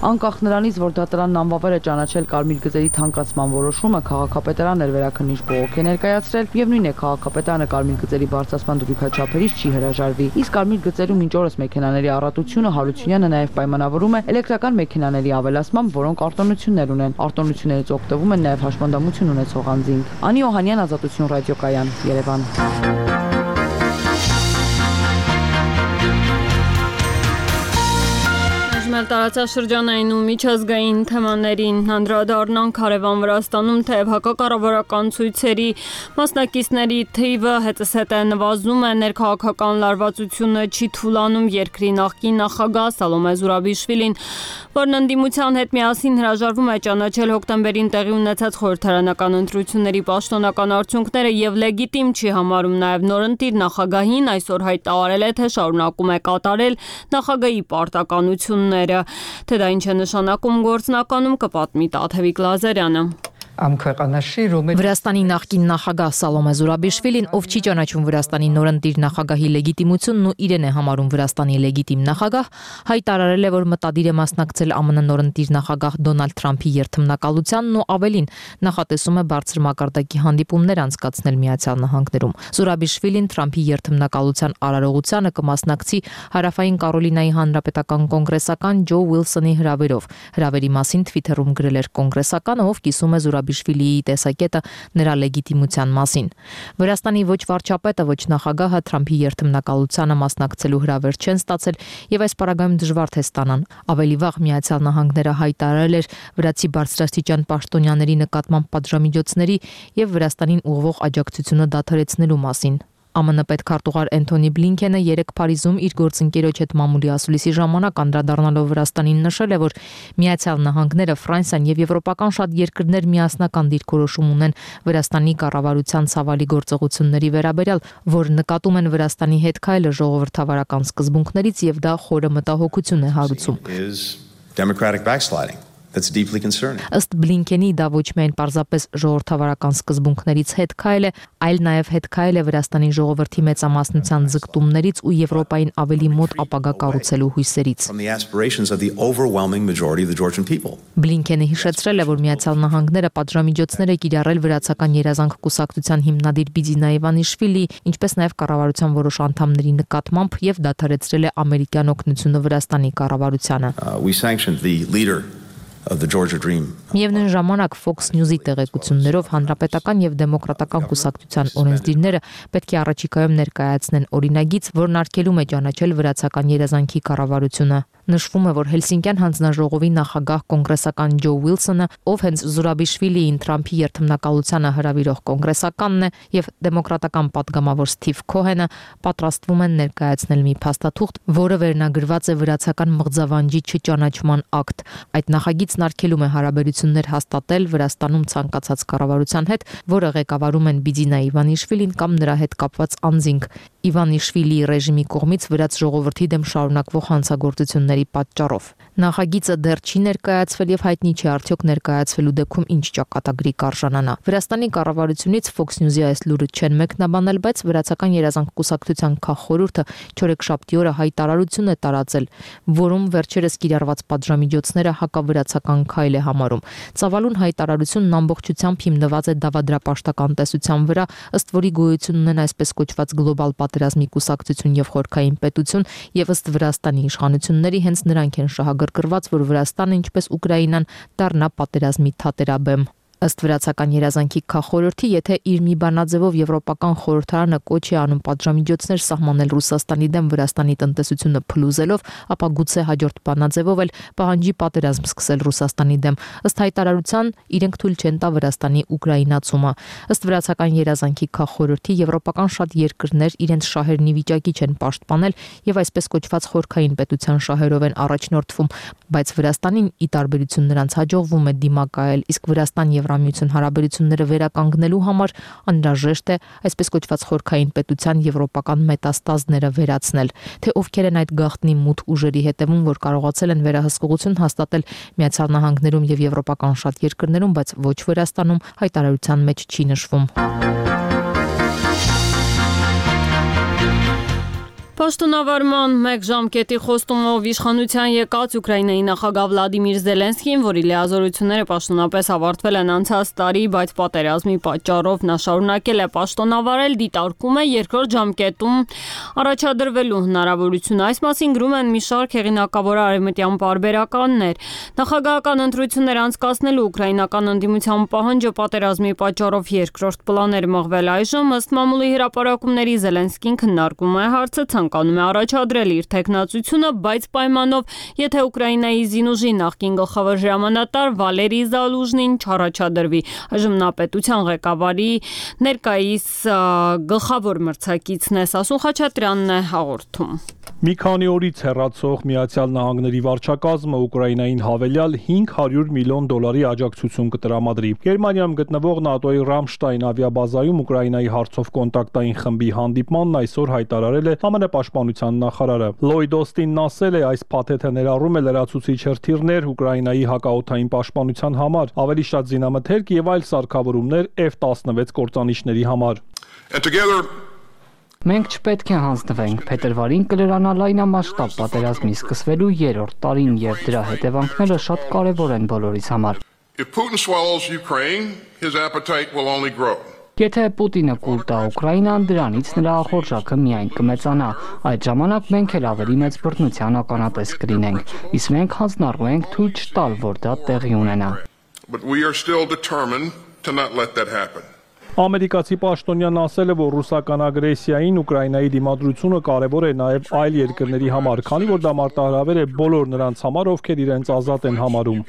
Անկախ նրանից, որ դատարանն անվավեր է ճանաչել կարմիր գծերի թանկացման որոշումը, քաղաքապետարանն վերաքննիչ բողոք է ներկայացրել եւ նույն է քաղաքապետարանը կարմիր գծերի բարձրացման դրույքաչափերից չի հրաժարվի։ Իսկ կարմիր գծերում մինչ օրս մեքենաների առատությունը Հարությունյանը նաեւ պայմանավորում է էլեկտրական մեքենաների ավելացմամբ, որոնք արտոնություններ ունեն։ Արտոնություններից օգտվում են նաեւ հաշմանդամություն ունեցող անձինք։ Անի Օհանյան, Ազատություն ռադիոկայան, Երևան։ Տարածաշրջանային ու միջազգային թեմաներին անդրադառնանք հարևան Վրաստանում թեև հակակառավարական ցույցերի մասնակիցների թիվը հետզհետե նվազում է, ներքաղաքական լարվածությունը չի թուլանում, երկրի նախկին նախագահ Սալոմե Զուրաբիշվիլին, որն ընդդիմության հետ միասին հրաժարվում է ճանաչել հոկտեմբերին տեղի ունեցած խորհրդարանական ընտրությունների պաշտոնական արդյունքները եւ լեգիտիմ չի համարում, նաեւ նորընտիր նախագահին այսօր հայտարարել է, թե շարունակում է կատարել նախագահի պարտականությունները։ Թե դա ինչ է նշանակում գործնականում, կպատմի Տաթևիկ Լազարյանը։ Վրաստանի նախկին նախագահ Սալոմե Զուրաբիշվիլին, ով չի ճանաչում Վրաստանի նորընտիր նախագահի լեգիտիմությունն ու իրեն է համարում Վրաստանի լեգիտիմ նախագահ, հայտարարել է, որ մտադիր է մասնակցել ԱՄՆ նորընտիր նախագահ Դոնալդ Թրամփի երթմնակալությանն ու ավելին նախատեսում է բարձր մակարդակի հանդիպումներ անցկացնել Միացյալ Նահանգներում։ Զուրաբիշվիլին Թրամփի երթմնակալության արարողությանը կմասնակցի Հարավային Կարոլինայի հանրապետական կոնգրեսական Ջո Ուիլսոնի հրավերով։ Հրավերի մասին Twitter-ում գրել էր կոնգրեսականը, ով կիսում է Զուրաբիշվիլիի տեսակետը նրա լեգիտիմության մասին։ Վրաստանի ոչ վարչապետը, ոչ նախագահը Թրամփի երթմնակալությանը մասնակցելու հրավեր չեն ստացել եւ այս պարագայում դժվար թե ստանան։ Ավելի վաղ Միացյալ Նահանգները հայտարարել էր վրացի բարձրաստիճան պաշտոնյաների նկատմամբ պատժամիջոցների եւ Վրաստանին ուղղող աջակցությունը դադարեցնելու մասին։ ԱՄՆ պետքարտուղար Էնթոնի Բլինքենը երեկ Փարիզում իր գործընկերոջ հետ մամուլի ասուլիսի ժամանակ անդրադառնալով Վրաստանին նշել է, որ Միացյալ Նահանգները, Ֆրանսիան եւ եվրոպական շատ երկրներ միասնական դիրքորոշում ունեն Վրաստանի կառավարության ցավալի գործողությունների վերաբերյալ, որ նկատում են Վրաստանի հետ քայլը ժողովրդավարական սկզբունքներից եւ դա խորը մտահոգություն է հարուցում։ That's deeply concerning. Ըստ Բլինքենի դա ոչ միայն պարզապես ժողովրդավարական սկզբունքներից հետ քայլ է, այլ նաև հետ քայլ է Վրաստանի ժողովրդի մեծամասնության ձգտումներից ու Եվրոպային ավելի մոտ ապագա կառուցելու հույսերից։ Բլինքենը հիշեցրել է, որ Միացյալ Նահանգները պատժամիջոցներ է կիրառել վրացական երազանք կուսակցության հիմնադիր Բիձինա Իվանիշվիլի, ինչպես նաև կառավարության որոշ անդամների նկատմամբ եւ դադարեցրել է ամերիկյան օգնությունը Վրաստանի կառավարությանը։ We sanctioned the leader of the Georgia Dream. Միևնույն ժամանակ Fox News-ի տեղեկություններով հանրապետական եւ դեմոկրատական կուսակցության օրենսդիրները պետք է առաջիկայում ներկայացնեն օրինագիծ, որն արգելում է ճանաչել վրացական երազանքի կառավարությունը։ Նշվում է, որ Հելսինկյան հանձնաժողովի նախագահ կոնգրեսական Ջո Ուիլսոնը, ով հենց Զուրաբիշվիլիին Թրամփի երթմնակալությանը հրավիրող կոնգրեսականն է, եւ դեմոկրատական падգամավոր Սթիվ Քոհենը պատրաստվում են ներկայացնել մի փաստաթուղթ, որը վերնագրված է վրացական մղձավանջի չճանաչման ակտ։ Այդ նախագիծն արգելում է հարաբերություններ հաստատել Վրաստանում ցանկացած կառավարության հետ, որը ղեկավարում են Բիձինա Իվանիշվիլին կամ նրա հետ կապված անձինք։ Իվանիշվիլիի ռեժիմի կողմից վրաց ժողովրդի դեմ շարունակվող հանցագործությունների պատճառով։ Նախագիծը դեռ չի ներկայացվել եւ հայտնի չէ արդյոք ներկայացվելու դեպքում ինչ ճակատագրի կարժանանա։ Վրաստանի կառավարությունից Fox News-ի այս լուրը չեն մեկնաբանել, բայց վրացական երազանք կուսակցության քաղխորհուրդը չորեքշաբթի օրը հայտարարություն է տարածել, որում վերջերս կիրառված պատժամիջոցները հակավրացական քայլ է համարում։ Ծավալուն հայտարարությունն ամբողջությամբ հիմնված է դավադրապաշտական տեսության վրա, ըստ որի գոյություն ունեն այսպես կոչված գլոբալ պատերազմի կուսակցություն եւ խորքային պետություն եւ ըստ Վրաստանի իշխանությունների հենց նրանք են շահագրգռված, որ Վրաստանը ինչպես Ուկրաինան դառնա պատերազմի թատերաբեմ։ Ըստ վրացական երազանքի քաղաքորորդի, եթե իր մի բանաձևով Եվրոպական խորհրդարանը կոչ է անում պատժամիջոցներ սահմանել Ռուսաստանի դեմ Վրաստանի տնտեսությունը փլուզելով, ապա գուցե հաջորդ բանաձևով էլ պահանջի պատերազմ սկսել Ռուսաստանի դեմ։ Ըստ հայտարարության իրենք թույլ չեն տա Վրաստանի ուկրաինացումը։ Ըստ վրացական երազանքի քաղաքորորդի եվրոպական շատ երկրներ իրենց շահերն ի վիճակի չեն պաշտպանել եւ այսպես կոչված խորքային պետության շահերով են առաջնորդվում, բայց Վրաստանին ի տարբերություն նրանց հաջողվում է դիմակայել, իսկ Վրաստան Եվրամիություն հարաբերությունները վերականգնելու համար անհրաժեշտ է այսպես կոչված խորքային պետության եվրոպական մետաստազները վերացնել, թե ովքեր են այդ գաղտնի մութ ուժերի հետևում, որ կարողացել են վերահսկողություն հաստատել Միացյալ Նահանգներում եւ եվրոպական շատ երկրներում, բայց ոչ Վրաստանում, հայտարարության մեջ չի նշվում։ Պաշտոնավարման մեկ ժամկետի խոստումով իշխանության եկած Ուկրաինայի նախագահ Վլադիմիր Զելենսկին, որի լիազորությունները պաշտոնապես ավարտվել են անցած տարի, բայց պատերազմի պատճառով նա շարունակել է պաշտոնավարել, դիտարկում է երկրորդ ժամկետում առաջադրվելու հնարավորությունը։ Այս մասին գրում են մի շարք հեղինակավոր արևմտյան պարբերականներ։ Նախագահական ընտրություններ անցկացնելու ուկրաինական ընդդիմության պահանջը պատերազմի պատճառով երկրորդ պլան էր մղվել այժմ, ըստ մամուլի հրապարակումների Զելենսկին քննարկում է հարցը, ցանկանում է առաջադրել իր թեկնածությունը, բայց պայմանով, եթե Ուկրաինայի զինուժի նախկին գլխավոր հրամանատար Վալերի Զալուժնին չառաջադրվի։ Այժմ նա պետության ղեկավարի ներկայիս գլխավոր մրցակիցն է, Սասուն Խաչատրյանն է հաղորդում։ Մի քանի օրից հեռացող Միացյալ Նահանգների վարչակազմը Ուկրաինային հավելյալ $500 միլիոն աջակցություն կտրամադրի։ Գերմանիայում գտնվող ՆԱՏՕ-ի Ռամշտայն ավիաբազայում Ուկրաինայի հարցով կոնտակտային խմբի հանդիպմանն այսօր հայտարարել է ԱՄՆ պաշտպանության նախարարը։ Լոյդ Օստինն ասել է, այս փաթեթը ներառում է լրացուցիչ հրթիռներ Ուկրաինայի հակաօդային պաշտպանության համար, ավելի շատ զինամթերք եւ այլ սարքավորումներ F-16 կործանիչների համար։ Մենք չպետք է հանձնվենք, փետրվարին կլրանա լայնամասշտաբ պատերազմի սկսվելու 3-րդ տարին եւ դրա հետևանքները շատ կարեւոր են բոլորիս համար։ Եթե Պուտինը կուլ տա Ուկրաինան, դրանից նրա ախորժակը միայն կմեծանա։ Այդ ժամանակ մենք էլ ավելի մեծ բռնության ականատես կլինենք, իսկ մենք հանձնառու ենք թույլ չտալ, որ դա տեղի ունենա։ Ամերիկացի պաշտոնյան ասել է, որ ռուսական ագրեսիային Ուկրաինայի դիմադրությունը կարևոր է նաև այլ երկրների համար, քանի որ դա մարտահրավեր է բոլոր նրանց համար, ովքեր իրենց ազատ են համարում։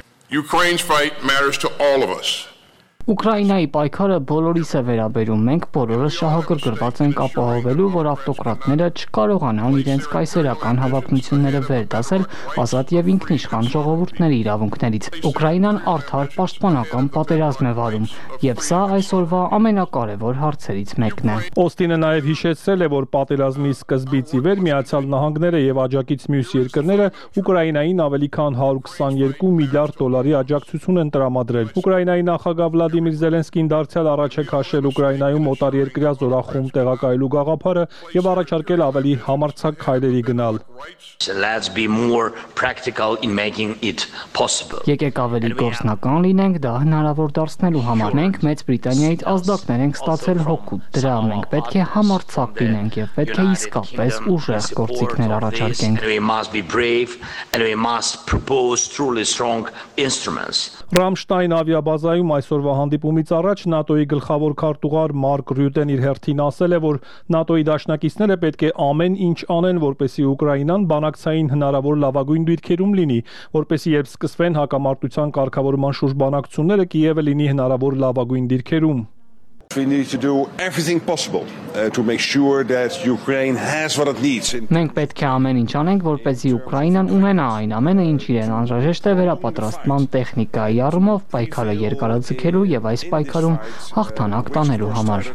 Ուկրաինայի պայքարը բոլորիս է վերաբերում, մենք բոլորս շահագրգռված ենք ապահովելու, որ ավտոկրատները չկարողանան իրենց կայսերական հավակնությունները վերդասել ազատ եւ ինքնիշխան ժողովուրդների իրավունքներից։ Ուկրաինան արդար պաշտպանական պատերազմ է վարում, եւ սա այսօրվա ամենակարևոր հարցերից մեկն է։ Օստինը նաեւ հիշեցրել է, որ պատերազմի սկզբից ի վեր Միացյալ Նահանգները եւ աջակից մյուս երկրները Ուկրաինային ավելի քան $122 միլիարդ աջակցություն են տրամադրել։ Ուկրաինայի նախագահ Վլադիմիր Զելենսկին դարձյալ առաջ է քաշել Ուկրաինայում օտարերկրյա զորախումբ տեղակայելու գաղափարը եւ առաջարկել ավելի համարձակ քայլերի գնալ։ Եկեք ավելի գործնական լինենք դա հնարավոր դարձնելու համար։ Մենք Մեծ Բրիտանիայից ազդակներ ենք ստացել հօգուտ դրա։ Մենք պետք է համարձակ լինենք եւ պետք է իսկապես ուժեղ գործիքներ առաջարկենք։ Ռամշտայն ավիաբազայում այսօրվա հանդիպումից առաջ ՆԱՏՕ-ի գլխավոր քարտուղար Մարկ Ռյուտեն իր հերթին ասել է, որ ՆԱՏՕ-ի դաշնակիցները պետք է ամեն ինչ անեն, որպեսզի Ուկրաինան բանակցային հնարավոր լավագույն դիրքերում լինի, որպեսզի երբ սկսվեն հակամարտության կարգավորման շուրջ բանակցությունները, Կիևը լինի հնարավոր լավագույն դիրքերում։ We need to do everything possible to make sure that Ukraine has what it needs. Մենք պետք է ամեն ինչ անենք, որպեսզի Ուկրաինան ունենա այն ամենը, ինչ իրեն անհրաժեշտ է վերապատրաստման տեխնիկայի առումով պայքարը երկարաձգելու եւ այս պայքարում հաղթանակ տանելու համար։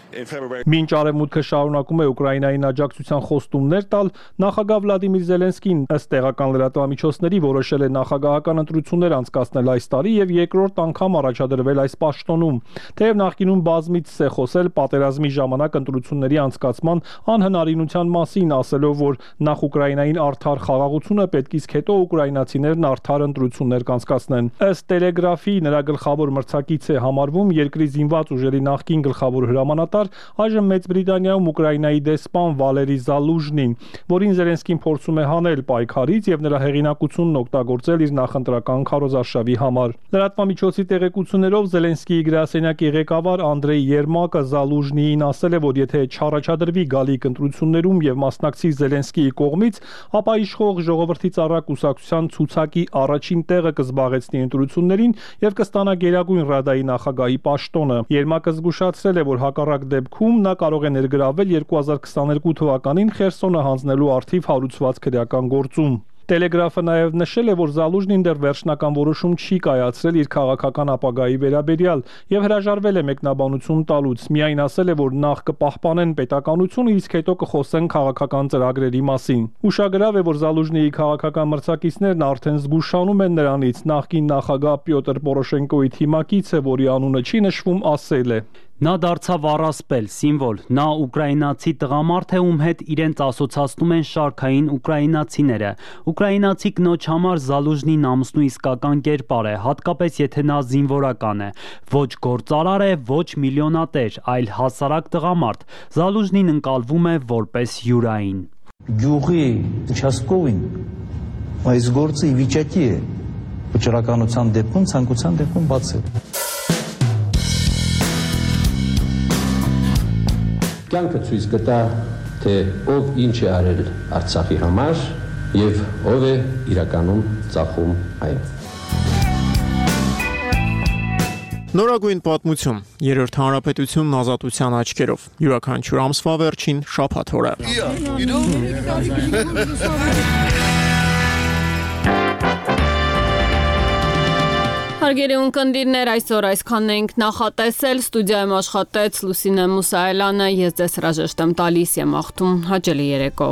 Մինչ արևմուտքը շարունակում է Ուկրաինային աջակցության խոստումներ տալ, նախագահ Վլադիմիր Զելենսկին ըստ տեղական լրատվամիջոցների որոշել է նախագահական ընտրություններ անցկացնել այս տարի եւ երկրորդ անգամ առաջադրվել այս պաշտոնում։ Թեև նախկինում բազմից է խոսել պատերազմի ժամանակ ընտրությունների անցկացման անհնարինության մասին, ասելով, որ նախ Ուկրաինային արդար խաղաղությունը պետք իսկ հետո ուկրաինացիներն արդար ընտրություններ կանցկացնեն։ Ըստ Տելեգրաֆի նրա գլխավոր մրցակից է համարվում երկրի զինված ուժերի նախկին գլխավոր հրամանատար նախագահ, այժմ Մեծ Բրիտանիայում Ուկրաինայի դեսպան Վալերի Զալուժնին, որին Զելենսկին փորձում է հանել պայքարից եւ նրա հեղինակությունն օգտագործել իր նախընտրական քարոզարշավի համար։ Լրատվամիջոցի տեղեկություններով Զելենսկիի գրասենյակի ղեկավար Անդրեյ Երմակը Զալուժնիին ասել է, որ եթե չառաջադրվի գալիք ընտրություններում եւ մասնակցի Զելենսկիի կողմից, ապա իշխող ժողովրդի ծառա կուսակցության ցուցակի առաջին տեղը կզբաղեցնի ընտրություններին եւ կստանա Գերագույն Ռադայի նախագահի պաշտոնը։ Երմակը զգուշացրել է, որ հակառակ դեպքում նա կարող է ներգրավել 2022 թվականին Խերսոնը հանձնելու առթիվ հարուցված քրեական գործում։ Տելեգրաֆը նաև նշել է, որ Զալուժնին դեռ վերջնական որոշում չի կայացրել իր քաղաքական ապագայի վերաբերյալ եւ հրաժարվել է մեկնաբանություն տալուց։ Միայն ասել է, որ նախ կպահպանեն պետականությունը, իսկ հետո կխոսեն քաղաքական ծրագրերի մասին։ Ուշագրավ է, որ Զալուժնիի քաղաքական մրցակիցներն արդեն զգուշանում են նրանից։ Նախկին նախագահ Պյոտր Պորոշենկոյի թիմակիցը, որի անունը չի նշվում, ասել է. Նա դարձավ առասպել, սիմվոլ, նա ուկրաինացի տղամարդ է, ում հետ իրենց ասոցացնում են շարքային ուկրաինացիները։ Ուկրաինացի կնոջ համար Զալուժնին ամուսնու իսկական կերպար է, հատկապես եթե նա զինվորական է։ Ոչ գործարար է, ոչ միլիոնատեր, այլ հասարակ տղամարդ։ Զալուժնին ընկալվում է որպես յուրային։ Գյուղի участковին այս գործը ի վիճակի է վճռականության դեպքում, ցանկության դեպքում բացել։ Կյանքը ցույց կտա, թե ով ինչ է արել Արցախի համար եւ ով է իրականում ծախում այն։ Նորագույն պատմություն, երրորդ հանրապետությունն ազատության աչքերով, յուրաքանչյուր ամսվա վերջին շաբաթ օրը։ Հարգելի ունկնդիրներ, այսօր այսքանն ենք նախատեսել, ստուդիայում աշխատեց Լուսինե Մուսայելյանը, ես ձեզ հրաժեշտ եմ տալիս եմ աղթում հաճելի երեկո։